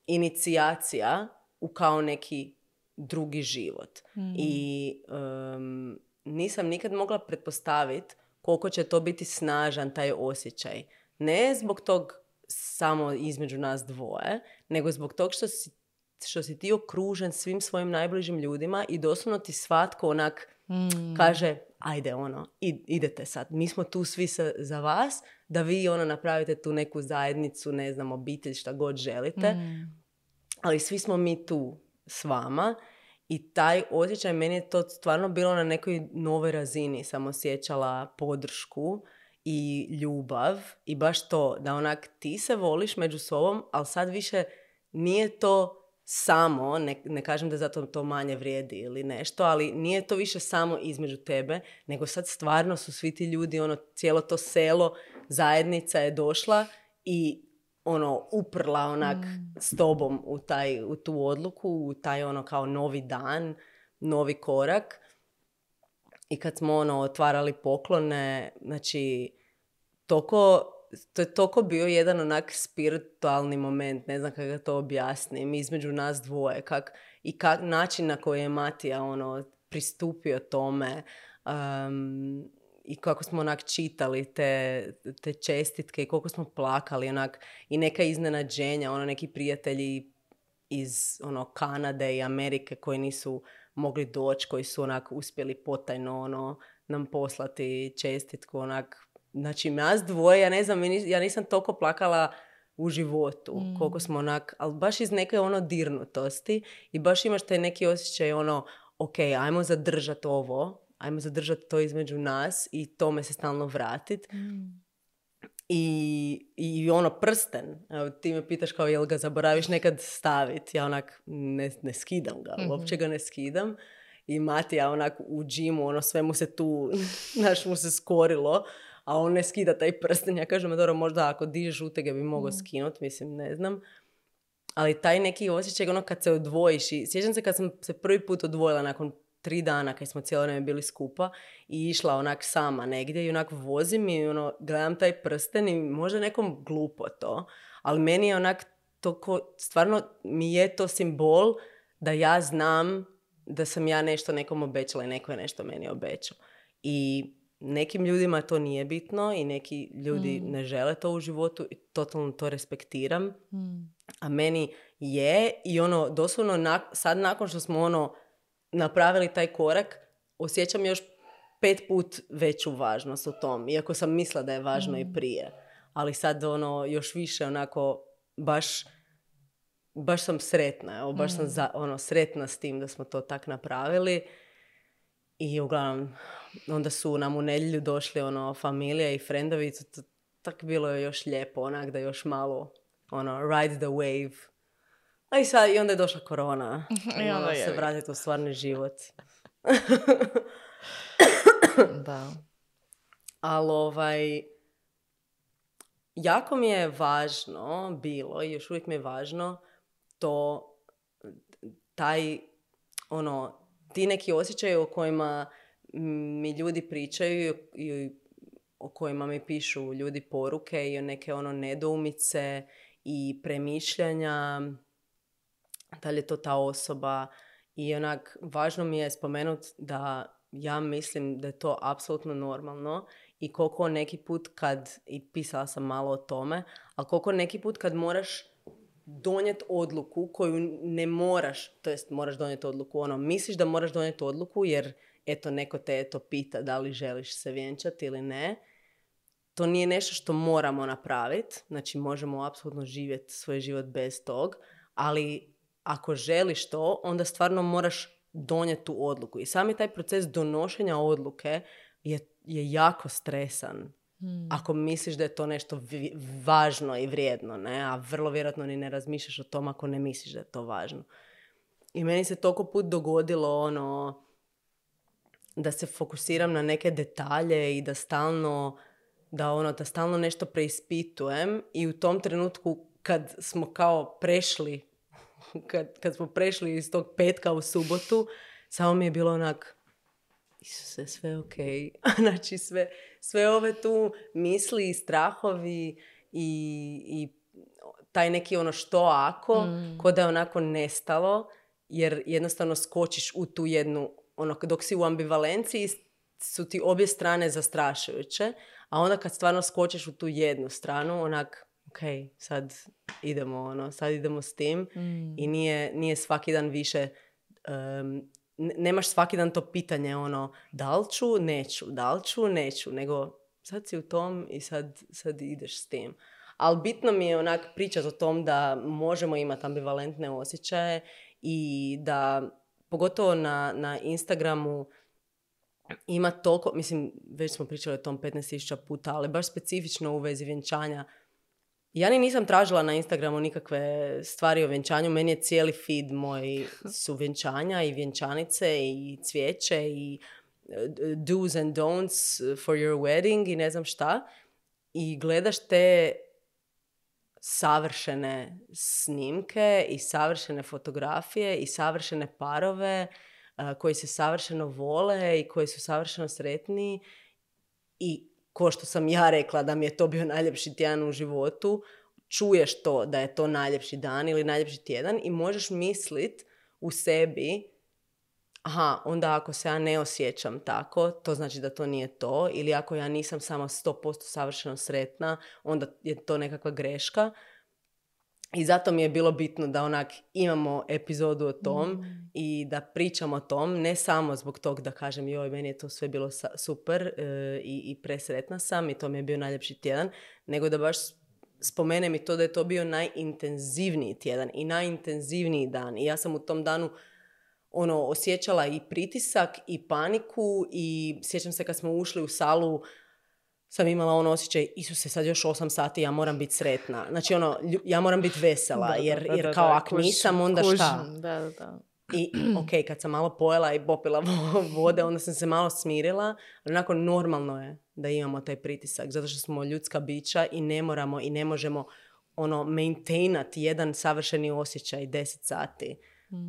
inicijacija u kao neki drugi život. I nisam nikad mogla pretpostaviti koliko će to biti snažan taj osjećaj. Ne zbog tog samo između nas dvoje, nego zbog tog što si ti okružen svim svojim najbližim ljudima i doslovno ti svatko onak kaže, ajde idete sad, mi smo tu svi za vas, da vi napravite tu neku zajednicu, ne znam, obitelj, šta god želite, ali svi smo mi tu s vama. I taj osjećaj, meni je to stvarno bilo na nekoj novoj razini. Sam osjećala podršku i ljubav i baš to, da onak ti se voliš među sobom, ali sad više nije to samo, ne kažem da zato to manje vrijedi ili nešto, ali nije to više samo između tebe, nego sad stvarno su svi ti ljudi, cijelo to selo, zajednica je došla i uprla onak s tobom u tu odluku, u taj kao novi dan, novi korak. I kad smo otvarali poklone, znači to je toliko bio jedan onak spiritualni moment, ne znam kako ga to objasnim, između nas dvoje, način na koji je Matija pristupio tome, i kako smo onak čitali te čestitke i koliko smo plakali onak, i neka iznenađenja, neki prijatelji iz Kanade i Amerike koji nisu mogli doći, koji su onak uspjeli potajno nam poslati čestitku onak. Znači nas dvoje, ja ne znam, ja nisam toliko plakala u životu, koliko smo onak, ali baš iz neke dirnutosti i baš imaš taj neki osjećaj ok, ajmo zadržati ovo, ajmo zadržati to između nas i tome se stalno vratiti. I prsten, evo, ti me pitaš kao jel ga zaboraviš nekad staviti, ja onak ne skidam ga, uopće ga ne skidam. I Matija onak u džimu, sve mu se tu, mu se skorilo, a on ne skida taj prsten. Ja kažem, dobro, možda ako dižeš utege bi mogao skinuti, mislim, ne znam. Ali taj neki osjećaj, kad se odvojiš, i sjećam se kad sam se prvi put odvojila nakon 3 dana kad smo cijelo vrijeme bili skupa i išla onak sama negdje i onak vozim i gledam taj prsten i možda nekom glupo to, ali meni je onak stvarno mi je to simbol da ja znam da sam ja nešto nekom obećala i neko je nešto meni obećao. I nekim ljudima to nije bitno i neki ljudi ne žele to u životu i totalno to respektiram. A meni je i doslovno sad nakon što smo napravili taj korak, osjećam još 5 put veću važnost u tom. Iako sam mislila da je važno i prije. Ali sad još više onako baš sam sretna. Baš sam sretna s tim da smo to tak napravili. I uglavnom, onda su nam u nedjelju došli familija i frendovi. Tak bilo je još lijepo, onak da još malo ride the wave. A i onda je došla korona. I onda se vratiti u stvarni život. Da. Ali jako mi je važno bilo i još uvijek mi je važno to ti neki osjećaji o kojima mi ljudi pričaju i o kojima mi pišu ljudi poruke i o neke ono nedoumice i premišljanja, da li je to ta osoba. I onak, važno mi je spomenuti da ja mislim da je to apsolutno normalno i koliko neki put kad, i pisala sam malo o tome, ali koliko neki put kad moraš donijeti odluku koju ne moraš, to jest moraš donijeti odluku, ono, misliš da moraš donijeti odluku jer eto neko te eto pita da li želiš se vjenčati ili ne. To nije nešto što moramo napraviti, znači možemo apsolutno živjeti svoj život bez tog, ali ako želiš to, onda stvarno moraš donijeti tu odluku. I sami taj proces donošenja odluke je jako stresan. Ako misliš da je to nešto važno i vrijedno, ne? A vrlo vjerojatno ni ne razmišljaš o tom ako ne misliš da je to važno. I meni se toliko put dogodilo ono da se fokusiram na neke detalje i da stalno nešto preispitujem i u tom trenutku kad smo kao prešli kad smo prešli iz tog petka u subotu, samo mi je bilo onak, Isuse, sve okej. Znači sve ove tu misli i strahovi i taj neki ono što ako, ko da je onako nestalo, jer jednostavno skočiš u tu jednu, ono, dok si u ambivalenciji su ti obje strane zastrašujuće, a onda kad stvarno skočiš u tu jednu stranu, onak, ok, sad idemo s tim i nije svaki dan više, nemaš svaki dan to pitanje ono, da li ću, neću, nego sad si u tom i sad ideš s tim. Ali bitno mi je onak pričati o tom da možemo imati ambivalentne osjećaje i da pogotovo na Instagramu ima toliko, mislim, već smo pričali o tom 15.000 puta, ali baš specifično u vezi vjenčanja. Ja nisam tražila na Instagramu nikakve stvari o vjenčanju, meni je cijeli feed moj su vjenčanja i vjenčanice i cvijeće i do's and don'ts for your wedding i ne znam šta. I gledaš te savršene snimke i savršene fotografije i savršene parove koji se savršeno vole i koji su savršeno sretni i ko što sam ja rekla da mi je to bio najljepši tjedan u životu, čuješ to da je to najljepši dan ili najljepši tjedan i možeš mislit u sebi, aha, onda ako se ja ne osjećam tako, to znači da to nije to, ili ako ja nisam samo 100% savršeno sretna, onda je to nekakva greška. I zato mi je bilo bitno da onak imamo epizodu o tom i da pričamo o tom, ne samo zbog tog da kažem joj, meni je to sve bilo super i presretna sam i to mi je bio najljepši tjedan, nego da baš spomenem i to da je to bio najintenzivniji tjedan i najintenzivniji dan. I ja sam u tom danu osjećala i pritisak i paniku i sjećam se kad smo ušli u salu sam imala osjećaj, Isuse, sad još 8 sati, ja moram biti sretna. Znači, ja moram biti vesela, jer kao ako nisam, onda šta? Da. I, ok, kad sam malo pojela i popila vode, onda sam se malo smirila, ali onako normalno je da imamo taj pritisak, zato što smo ljudska bića i ne moramo i ne možemo maintainati jedan savršeni osjećaj 10 sati,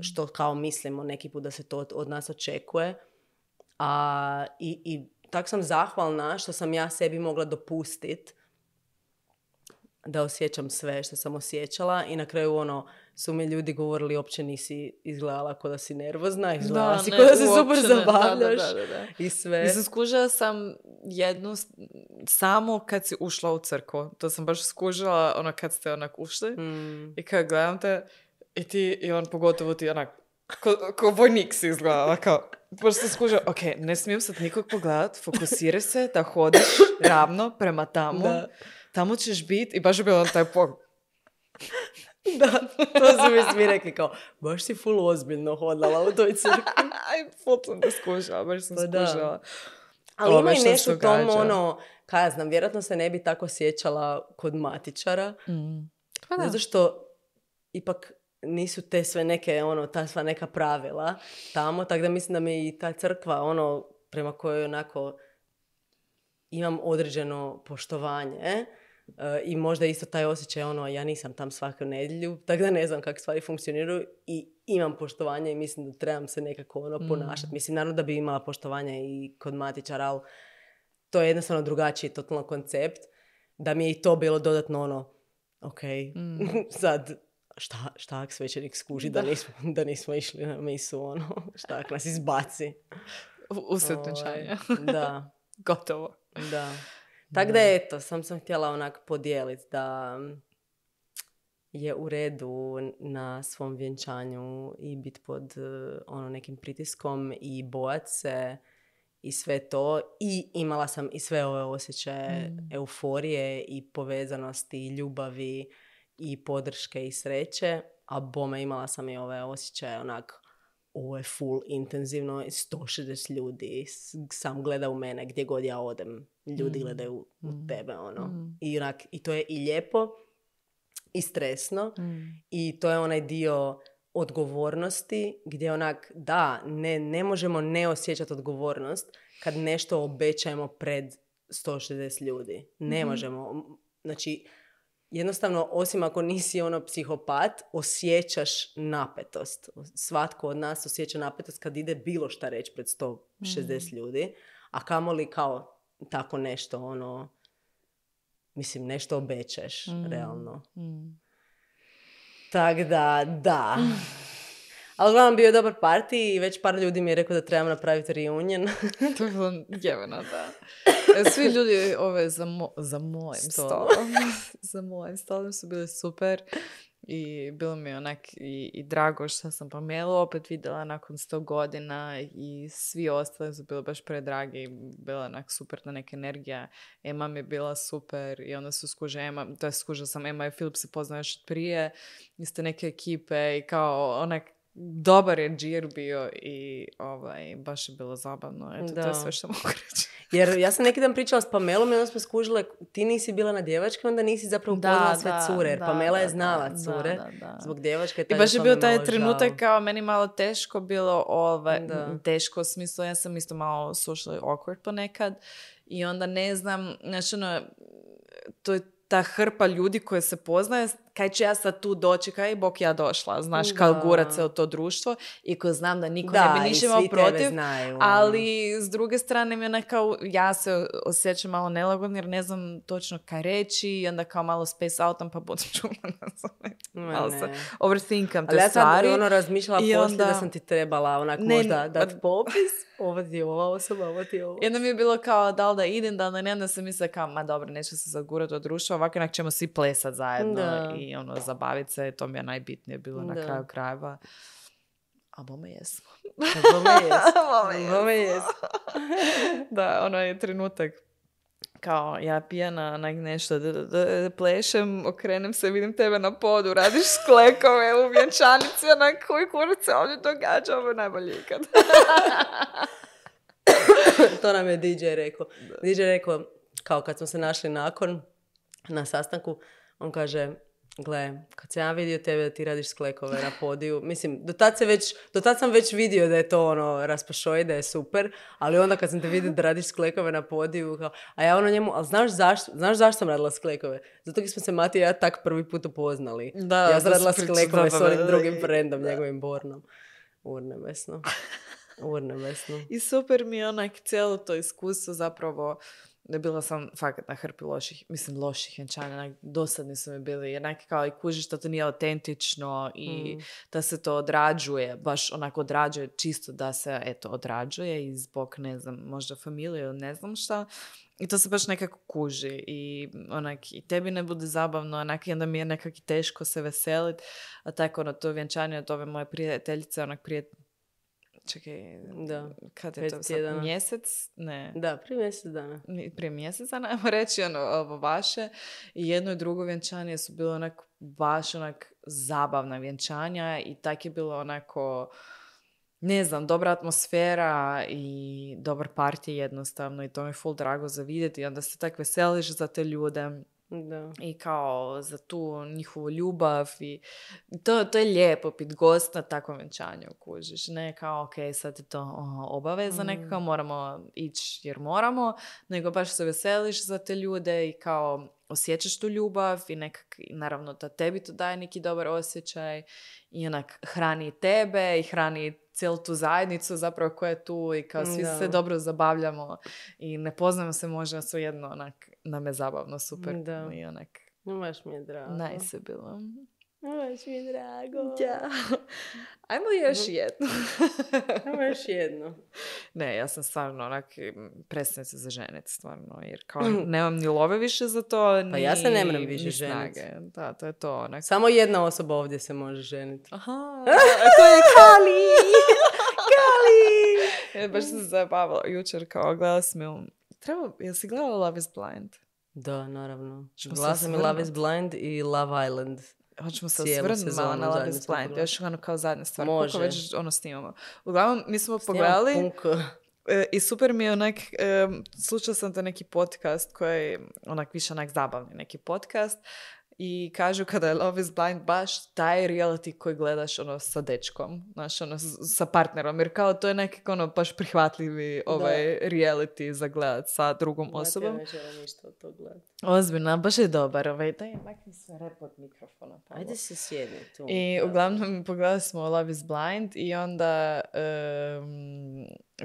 što kao mislimo neki put da se to od nas očekuje. I tako sam zahvalna što sam ja sebi mogla dopustiti da osjećam sve što sam osjećala i na kraju su mi ljudi govorili uopće nisi izgledala kao da si nervozna, izgledala si kao da se super zabavljaš i sve. Mislim, skužila sam jednu samo kad si ušla u crkvu. To sam baš skužila kad ste ušli i kad gledam te i ti i on pogotovo ti ko vojnik si izgledala, kao baš se skužila, ok, ne smijem sad nikog pogledat, fokusiraj se da hodiš ravno prema tamo, tamo ćeš biti i baš je bilo taj pogled. Da, to su mi svi rekli kao, baš si full ozbiljno hodala u toj crkvi. Aj, full sam da skužila, baš sam skužila. Ali ima i nešto tomu, kaj ja znam, vjerojatno se ne bi tako sjećala kod matičara, zato što ipak nisu te sve neke, ta sva neka pravila tamo, tako da mislim da mi i ta crkva, prema kojoj onako imam određeno poštovanje i možda isto taj osjećaj, ja nisam tam svaku nedjelju, tako da ne znam kako stvari funkcioniraju i imam poštovanje i mislim da trebam se nekako ponašati. Mislim, naravno da bi imala poštovanje i kod matičara, ali to je jednostavno drugačiji totalno koncept, da mi je i to bilo dodatno ono, ok, sad, šta ak svećenik skuži da nismo išli na misu, ono, šta ak nas izbaci. Usred venčanja. Da. Gotovo. Da. Tako da eto, sam htjela onak podijeliti da je u redu na svom vjenčanju i biti pod nekim pritiskom i bojat se i sve to. I imala sam i sve ove osjećaje euforije i povezanosti, ljubavi i podrške i sreće. A bome imala sam i ove osjećaje onak, ovo je full intenzivno, 160 ljudi sam gleda u mene gdje god ja odem. Ljudi gledaju u tebe, ono. I to je i lijepo i stresno i to je onaj dio odgovornosti gdje onak, da, ne možemo ne osjećati odgovornost kad nešto obećajemo pred 160 ljudi. Ne možemo. Znači, jednostavno, osim ako nisi psihopat, osjećaš napetost. Svatko od nas osjeća napetost kad ide bilo šta reći pred 160 ljudi, a kamoli kao tako nešto, nešto obećaš, realno. Tako da. Ali uglavnom bio je dobar party i već par ljudi mi je rekao da trebam napraviti reunion. To je bilo jeveno, da. Svi ljudi za mojim stolom. Za mojim stolom su bili super. I bilo mi je onak i drago što sam Pamelu opet vidjela nakon 100 godina i svi ostali su bili baš predragi i bila onak super ta neka energija. Ema mi je bila super i onda su skužila sam Ema i Filip se poznao još od prije iz te neke ekipe i kao onak dobar je džir bio i baš je bilo zabavno. Eto, to je sve što mogu reći. Jer ja sam neki dan pričala s Pamelom i onda smo skužile, ti nisi bila na djevačke, onda nisi zapravo upoznala sve cure. Jer Pamela je znala cure. Zbog djevačke. I baš je bio taj trenutak kao meni malo teško bilo. Teško u smislu, ja sam isto malo socially awkward ponekad. I onda ne znam, znači to je ta hrpa ljudi koje se poznaje, kaj ću ja sad tu doći, kaj bok ja došla, znaš, kao gurat se u to društvo i ko znam da niko ne bi ništa imao protiv, znaju, ali s druge strane mi je nekao, ja se osjećam malo nelagodno jer ne znam točno kaj reći i onda kao malo space outam pa budem čula, malo se overthinkam te stvari. Ali ja sam razmišljala poslije da sam ti trebala možda dati popis, ovo ti je ova osoba, ovo ti je ovo. I onda mi je bilo kao da li da idem, da li ne, onda sam mislila kao, ma dobro, neću se zagurati od društva, ovako inak ćemo svi plesat zajedno i zabaviti se, to mi je najbitnije bilo na kraju krajeva. A bome jesmo. Bome jesmo. Da, je trenutak kao ja pijana nešto plešem, okrenem se, vidim tebe na podu, radiš sklekove u vjenčanici, koji kurac se ovdje događa, ovo je najbolje ikad. To nam je DJ rekao. DJ rekao, kao kad smo se našli nakon, na sastanku, on kaže, gle, kad sam ja vidio tebe da ti radiš sklekove na podiju, mislim, do tad sam već vidio da je to raspašoj, da je super, ali onda kad sam te vidio da radiš sklekove na podiju, kao, a ja njemu, ali znaš zašto sam radila sklekove? Zato jer smo se Mati i ja tak prvi put upoznali. Ja sam radila sklekove s onim drugim frendom, njegovim Bornom. Urnebesno. I super mi je cijelo to iskustvo zapravo. Bila sam fakat na hrpi loših vjenčanja, dosadni su mi bili, jednak kao i kužiš da to nije autentično i da se to odrađuje, baš onako odrađuje čisto da se, odrađuje i zbog, ne znam, možda familije ili ne znam šta. I to se baš nekako kuži i i tebi ne bude zabavno, i onda mi je nekako teško se veselit, a tako to vjenčanje od ove moje prijateljice, prije čekaj, kad je to sad? Mjesec? Ne. Da, prije mjesec dana. Prije mjesec dana, ajmo reći, ovo vaše. I jedno i drugo vjenčanje su bilo baš zabavna vjenčanja i tak je bilo onako, ne znam, dobra atmosfera i dobar party jednostavno i to mi je full drago za vidjeti i onda se tak veseliš za te ljude. Da. I kao za tu njihovu ljubav i to je lijepo pit gost na takvom vjenčanju, kužiš, ne kao ok, sad je to obaveza nekako, moramo ići jer moramo, nego baš se veseliš za te ljude i kao osjećaš tu ljubav i naravno da tebi to daje neki dobar osjećaj i onak hrani tebe i hrani cijelu tu zajednicu zapravo koja je tu i kao svi se dobro zabavljamo i ne poznamo se možda svejedno onak nam je zabavno super i onak baš mi je drago. Nice je bilo. Baš mi je drago. Ja. Ajmo još jednu. Ajmo još jednu. Ne, ja sam stvarno onak prestam se za ženit, stvarno, jer kao nemam ni love više za to, pa ja se ne moram više ženiti. Da, to je to. Onak. Samo jedna osoba ovdje se može ženiti. Aha, to je Kali! Kali! Baš sam se zabavala jučer, kao gledala sam jesi gledala Love is Blind? Da, naravno. Gledala sam i Love is Blind i Love Island. Hoćemo se osvrnuti malo na Love is Blind. Još ono kao zadnja stvar. Može. Koliko već snimamo. Uglavnom, mi smo pogledali i super mi je onak, slušala sam to neki podcast koji je onak više onak zabavni neki podcast i kažu kada je Love is Blind baš taj reality koji gledaš ono sa dečkom, znaš, ono sa partnerom, jer kao to je nekako ono baš prihvatljivi reality za gledat sa drugom osobom. Ja ne želim ništa od tog gledati. Ozbiljno, baš je dobar. Daj, makni se rep od mikrofona. Pavlo. Ajde se sjedni tu. I uglavnom pogledali smo Love is Blind i onda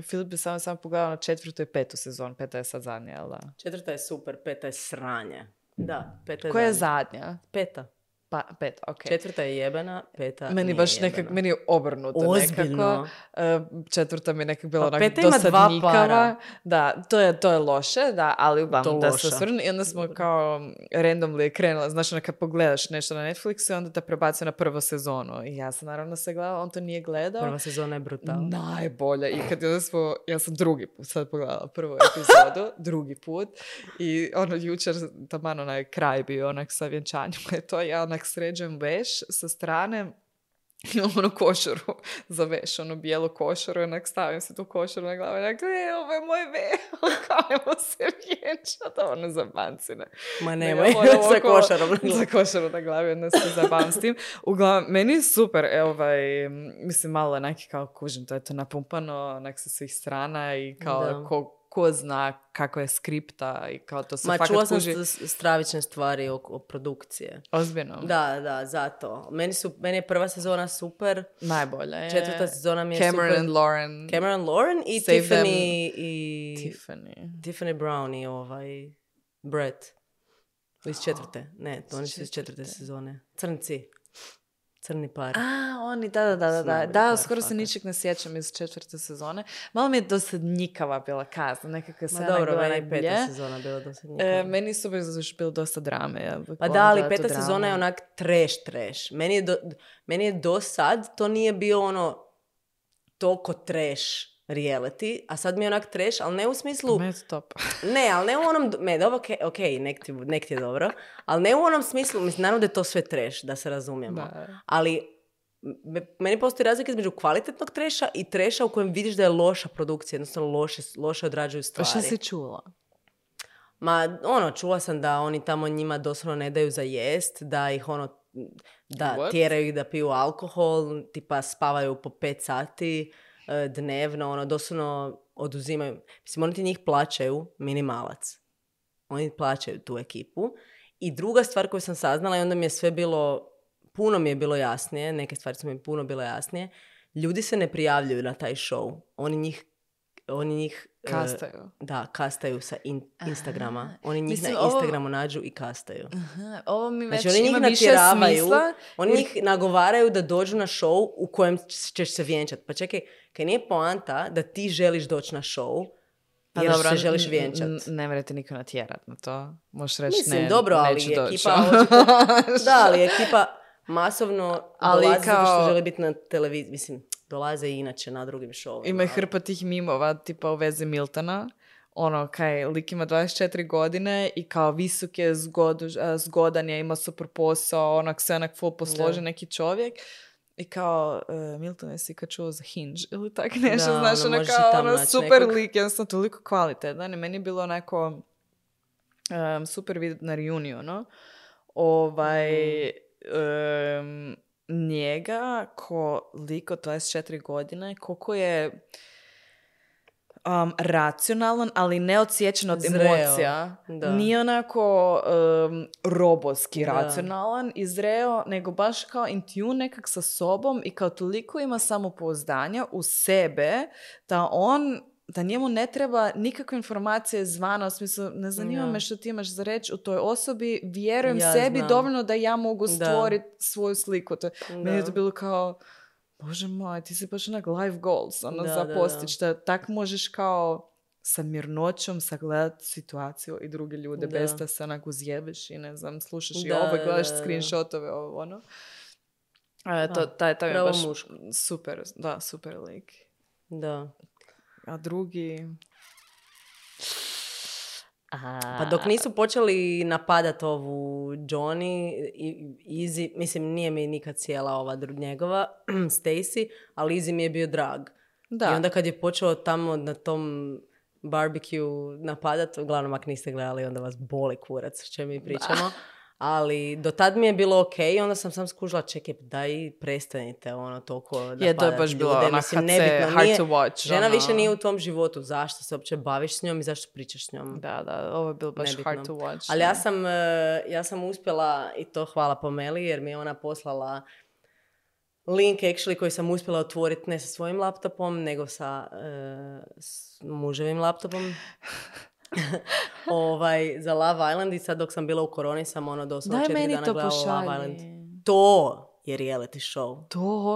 Filip je samo pogledao na 4. i 5. sezon. 5. je sad zadnja, jel da? 4. je super, 5. je sranje. Da, 5. je koja je zadnja? 5. Pa, 5, ok. 4. je jebena, 5. Meni baš nekak, meni je obrnuto ozbiljno. Nekako. 4. mi je nekak bila onak dosadnikava. Da, to je loše, da, ali uglavnom da se osvrnu. I onda smo kao randomly krenula, znači kad pogledaš nešto na Netflixu, onda te prebacio na prvu sezonu. I ja sam naravno se gledala, on to nije gledao. Prva sezona je brutalna. Najbolja. I kad ja sam drugi put sad pogledala prvu epizodu, drugi put. I ono jučer, taman onaj kraj bio onak sa vjenčanjem, je to ja onak sređujem veš sa strane i ono košaru za veš, ono bijelu košaru, onak stavim se tu košaru na glavu i onak, ovo je moj veš, kajmo se vjenčati, ono za bancine. Ma nemoj, sa košarom na glavi. Za košaru na glavi, onda se zabavam s tim. Uglavnom, meni je super, mislim, malo je neki kao kužim, to je to napumpano, onak sa svih strana i kao ko zna kako je skripta i kao to se fakat kuži. Ma čula sam stravične stvari o produkcije. Ozbiljno? Da, zato. Meni je prva sezona super. Najbolja je. 4. sezona mi je Cameron super. and Lauren i Tiffany Brown i Brett. Iz 4. Ne, to oni su iz 4. sezone. Crni par. Oni, da, skoro se ničeg ne sjećam iz 4. sezone. Malo mi je dosadnjikava bila kazna, nekako se dobro, meni je 5. sezona bila dosadnjikava. Meni su bilo dosta drame. Pa da, ali 5. sezona je onak trash. Meni je do sad to nije bio ono toliko trash reality, a sad mi je onak trash, ali ne u smislu... Top. Ne, ali ne u onom... nek ti je dobro, ali ne u onom smislu, mislim, naravno da je to sve trash, da se razumijemo. Da. Ali meni postoji razlika između kvalitetnog treša i treša u kojem vidiš da je loša produkcija, jednostavno loše odrađuju stvari. Pa šta si čula? Ma, čula sam da oni tamo njima doslovno ne daju za jest, da ih tjeraju ih da piju alkohol, tipa spavaju po 5 sati dnevno, doslovno oduzimaju. Mislim, oni ti njih plaćaju minimalac. Oni plaćaju tu ekipu. I druga stvar koju sam saznala i onda mi je sve puno mi je bilo jasnije, neke stvari su mi puno bile jasnije, ljudi se ne prijavljuju na taj show. Oni njih kastaju. Kastaju sa Instagrama. Oni njih na Instagramu nađu i kastaju. Ovo mi već znači, ima više smisla. Oni njih nagovaraju da dođu na show u kojem ćeš se vjenčati. Pa čekaj, kaj nije poanta da ti želiš doći na show jer se želiš vjenčati. Ne morate niko natjerat na to. Možeš reći mislim, dobro, ali ali ekipa masovno dolazi zato što želi biti na televiziji. Mislim, dolaze i inače na drugim showima. Ima hrpa tih mimova, tipa u vezi Miltona. Lik ima 24 godine i kao visok je, zgodan je, ima super posao, sve onak full posložen neki čovjek. I kao, Milton, jesi kad čuo za Hinge ili tak nešto, znaš, super nekog lik, jednostavno toliko kvalitetan. I meni je bilo onako super vidjeti na reunionu. Njega ko lik od 24 godine, koliko je racionalan, ali neodsječen od Zreo. emocija. Da. Nije onako robotski racionalan i zreo, nego baš kao in tune nekak sa sobom i kao toliko ima samopouzdanja u sebe da njemu ne treba nikakve informacije zvana, u smislu, ne zanima me što ti imaš za reći u toj osobi, vjerujem sebi dovoljno da ja mogu stvoriti svoju sliku. Meni je to bilo kao, Bože moj, ti si baš onak life goals za postići. Da tak možeš kao sa mirnoćom sagledati situaciju i druge ljude bez da se onak uzjebeš i ne znam, slušaš i ovo i gledaš screenshotove, ovo ono. Taj je baš super, super lik. Da. A drugi... Pa dok nisu počeli napadati ovu Johnny i Izzy, mislim nije mi nikad cijela ova njegova Stacy, ali Izzy mi je bio drag. Da. I onda kad je počeo tamo na tom barbecue napadati, uglavnom ako niste gledali onda vas boli kurac što mi pričamo. Ali do tad mi je bilo ok, onda sam sam skužila, čekaj, daj prestanite toliko napadati ljude. To je baš bilo ona HC, hard to watch. Žena više nije u tom životu, zašto se uopće baviš s njom i zašto pričaš s njom. Da, ovo je bilo baš nebitno. Hard to watch. Ali ja sam uspjela, i to hvala Pameli, jer mi je ona poslala link actually koji sam uspjela otvoriti ne sa svojim laptopom, nego sa muževim laptopom. Za Love Island i sad dok sam bila u koroni sam doslovno 4 dana gledala Love Island. To je reality show.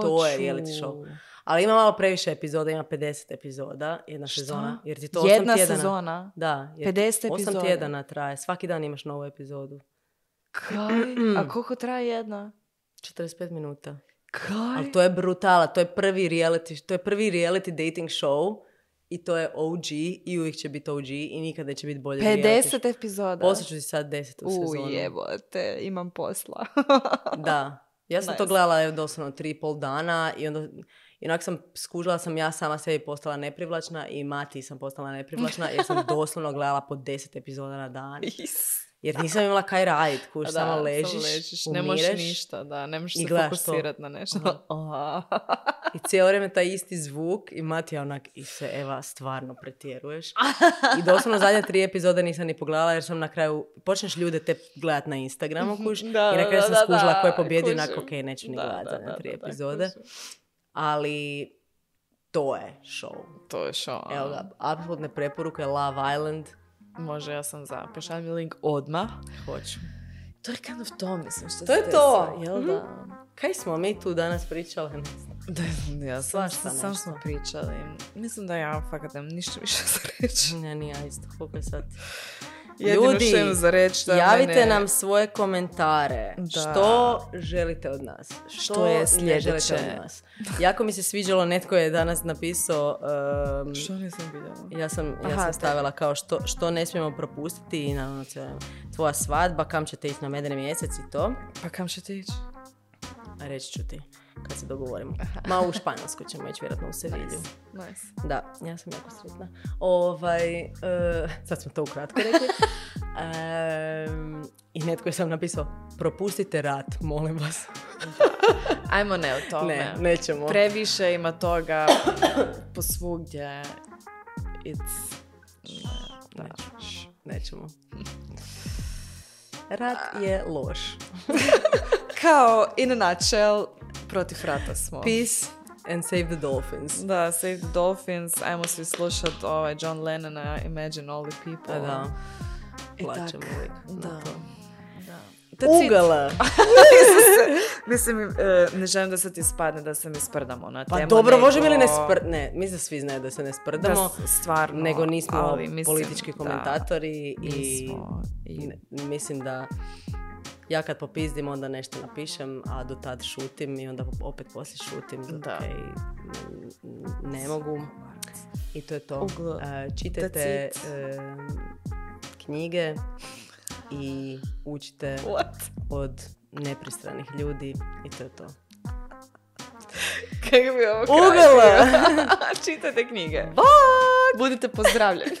To je reality show. Ali ima malo previše epizoda, ima 50 epizoda, jedna sezona. Jer ti to 8 jedna tjedana. Sezona? Da. 50 epizoda? 8 tjedana traje. Svaki dan imaš novu epizodu. Kaj? A koliko traje jedna? 45 minuta. Kaj? Ali to je brutala. To je prvi reality dating show. I to je OG i uvijek će biti OG i nikad neće biti bolje. 50 epizoda? Poslije ću ti sad 10 sezonu. Jebote, imam posla. Da. Ja sam to gledala doslovno 3,5 dana i onda onak sam skužila sam ja sama sebi postala neprivlačna i Mati sam postala neprivlačna jer sam doslovno gledala po 10 epizoda na dan. Jer nisam imala kaj raditi, samo ležiš, ne možeš ništa, ne možeš se fokusirati na nešto. I cijelo vrijeme taj isti zvuk i Mati je onak, i se Eva, stvarno pretjeruješ. I doslovno zadnje 3 epizode nisam ni pogledala jer sam na kraju, počneš ljude te gledati na Instagramu i na kraju sam skužila ko je pobjedio, onak, ok, neću ni gledati zadnje 3 epizode. Ali to je show. To je show. Evo ga, apsolutne preporuke, Love Island. Može, ja sam za. Pošalj mi link odmah. Hoću. To je kind of to, mislim, što to je to. Jel da? Kaj smo mi tu danas pričali? Ja sam smo pričali. Mislim da ja fakat nemam ništa više za reći. Ne, ni ja isto. Koliko je sad? Ljudi, za reći javite nam svoje komentare. Da. Što želite od nas? Što je sljedeće? Od nas? Jako mi se sviđalo, netko je danas napisao... što nisam vidjela? Ja sam stavila kao što ne smijemo propustiti i naravno tvoja svadba, kam ćete ići na medeni mjesec i to. Pa kam ćete ići? Reći ću ti kad se dogovorimo. Ma u Španjolsku ćemo ići vjerojatno u Sevilju. Nice. Da, ja sam jako sretna. Sad smo to ukratko rekli. I netko je sam napisao, propustite rat, molim vas. Ajmo ne o tome. Ne, nećemo. Previše ima toga posvugdje. Nećemo. Rat je loš. Kao, in a nutshell, protiv rata smo. Peace and save the dolphins. Da, save the dolphins. Ajmo svi slušati John Lennona, Imagine all the people. Da. Plaćemo uvijek. Da. Ugala. Mislim, ne želim da se ti spadne da se mi sprdamo na temu. Pa dobro, možemo ili ne sprdamo? Ne, mislim da svi znaju da se ne sprdamo. Stvarno. Nego nismo politički komentatori i mislim da ja kad popizdim onda nešto napišem, a do tad šutim i onda opet poslije šutim. Ne mogu. I to je to. Čitajte knjige i učite od nepristranih ljudi i to je to. Kako bi ovo kraj? Ugala! Čitajte knjige. Bye! Budite pozdravljeni.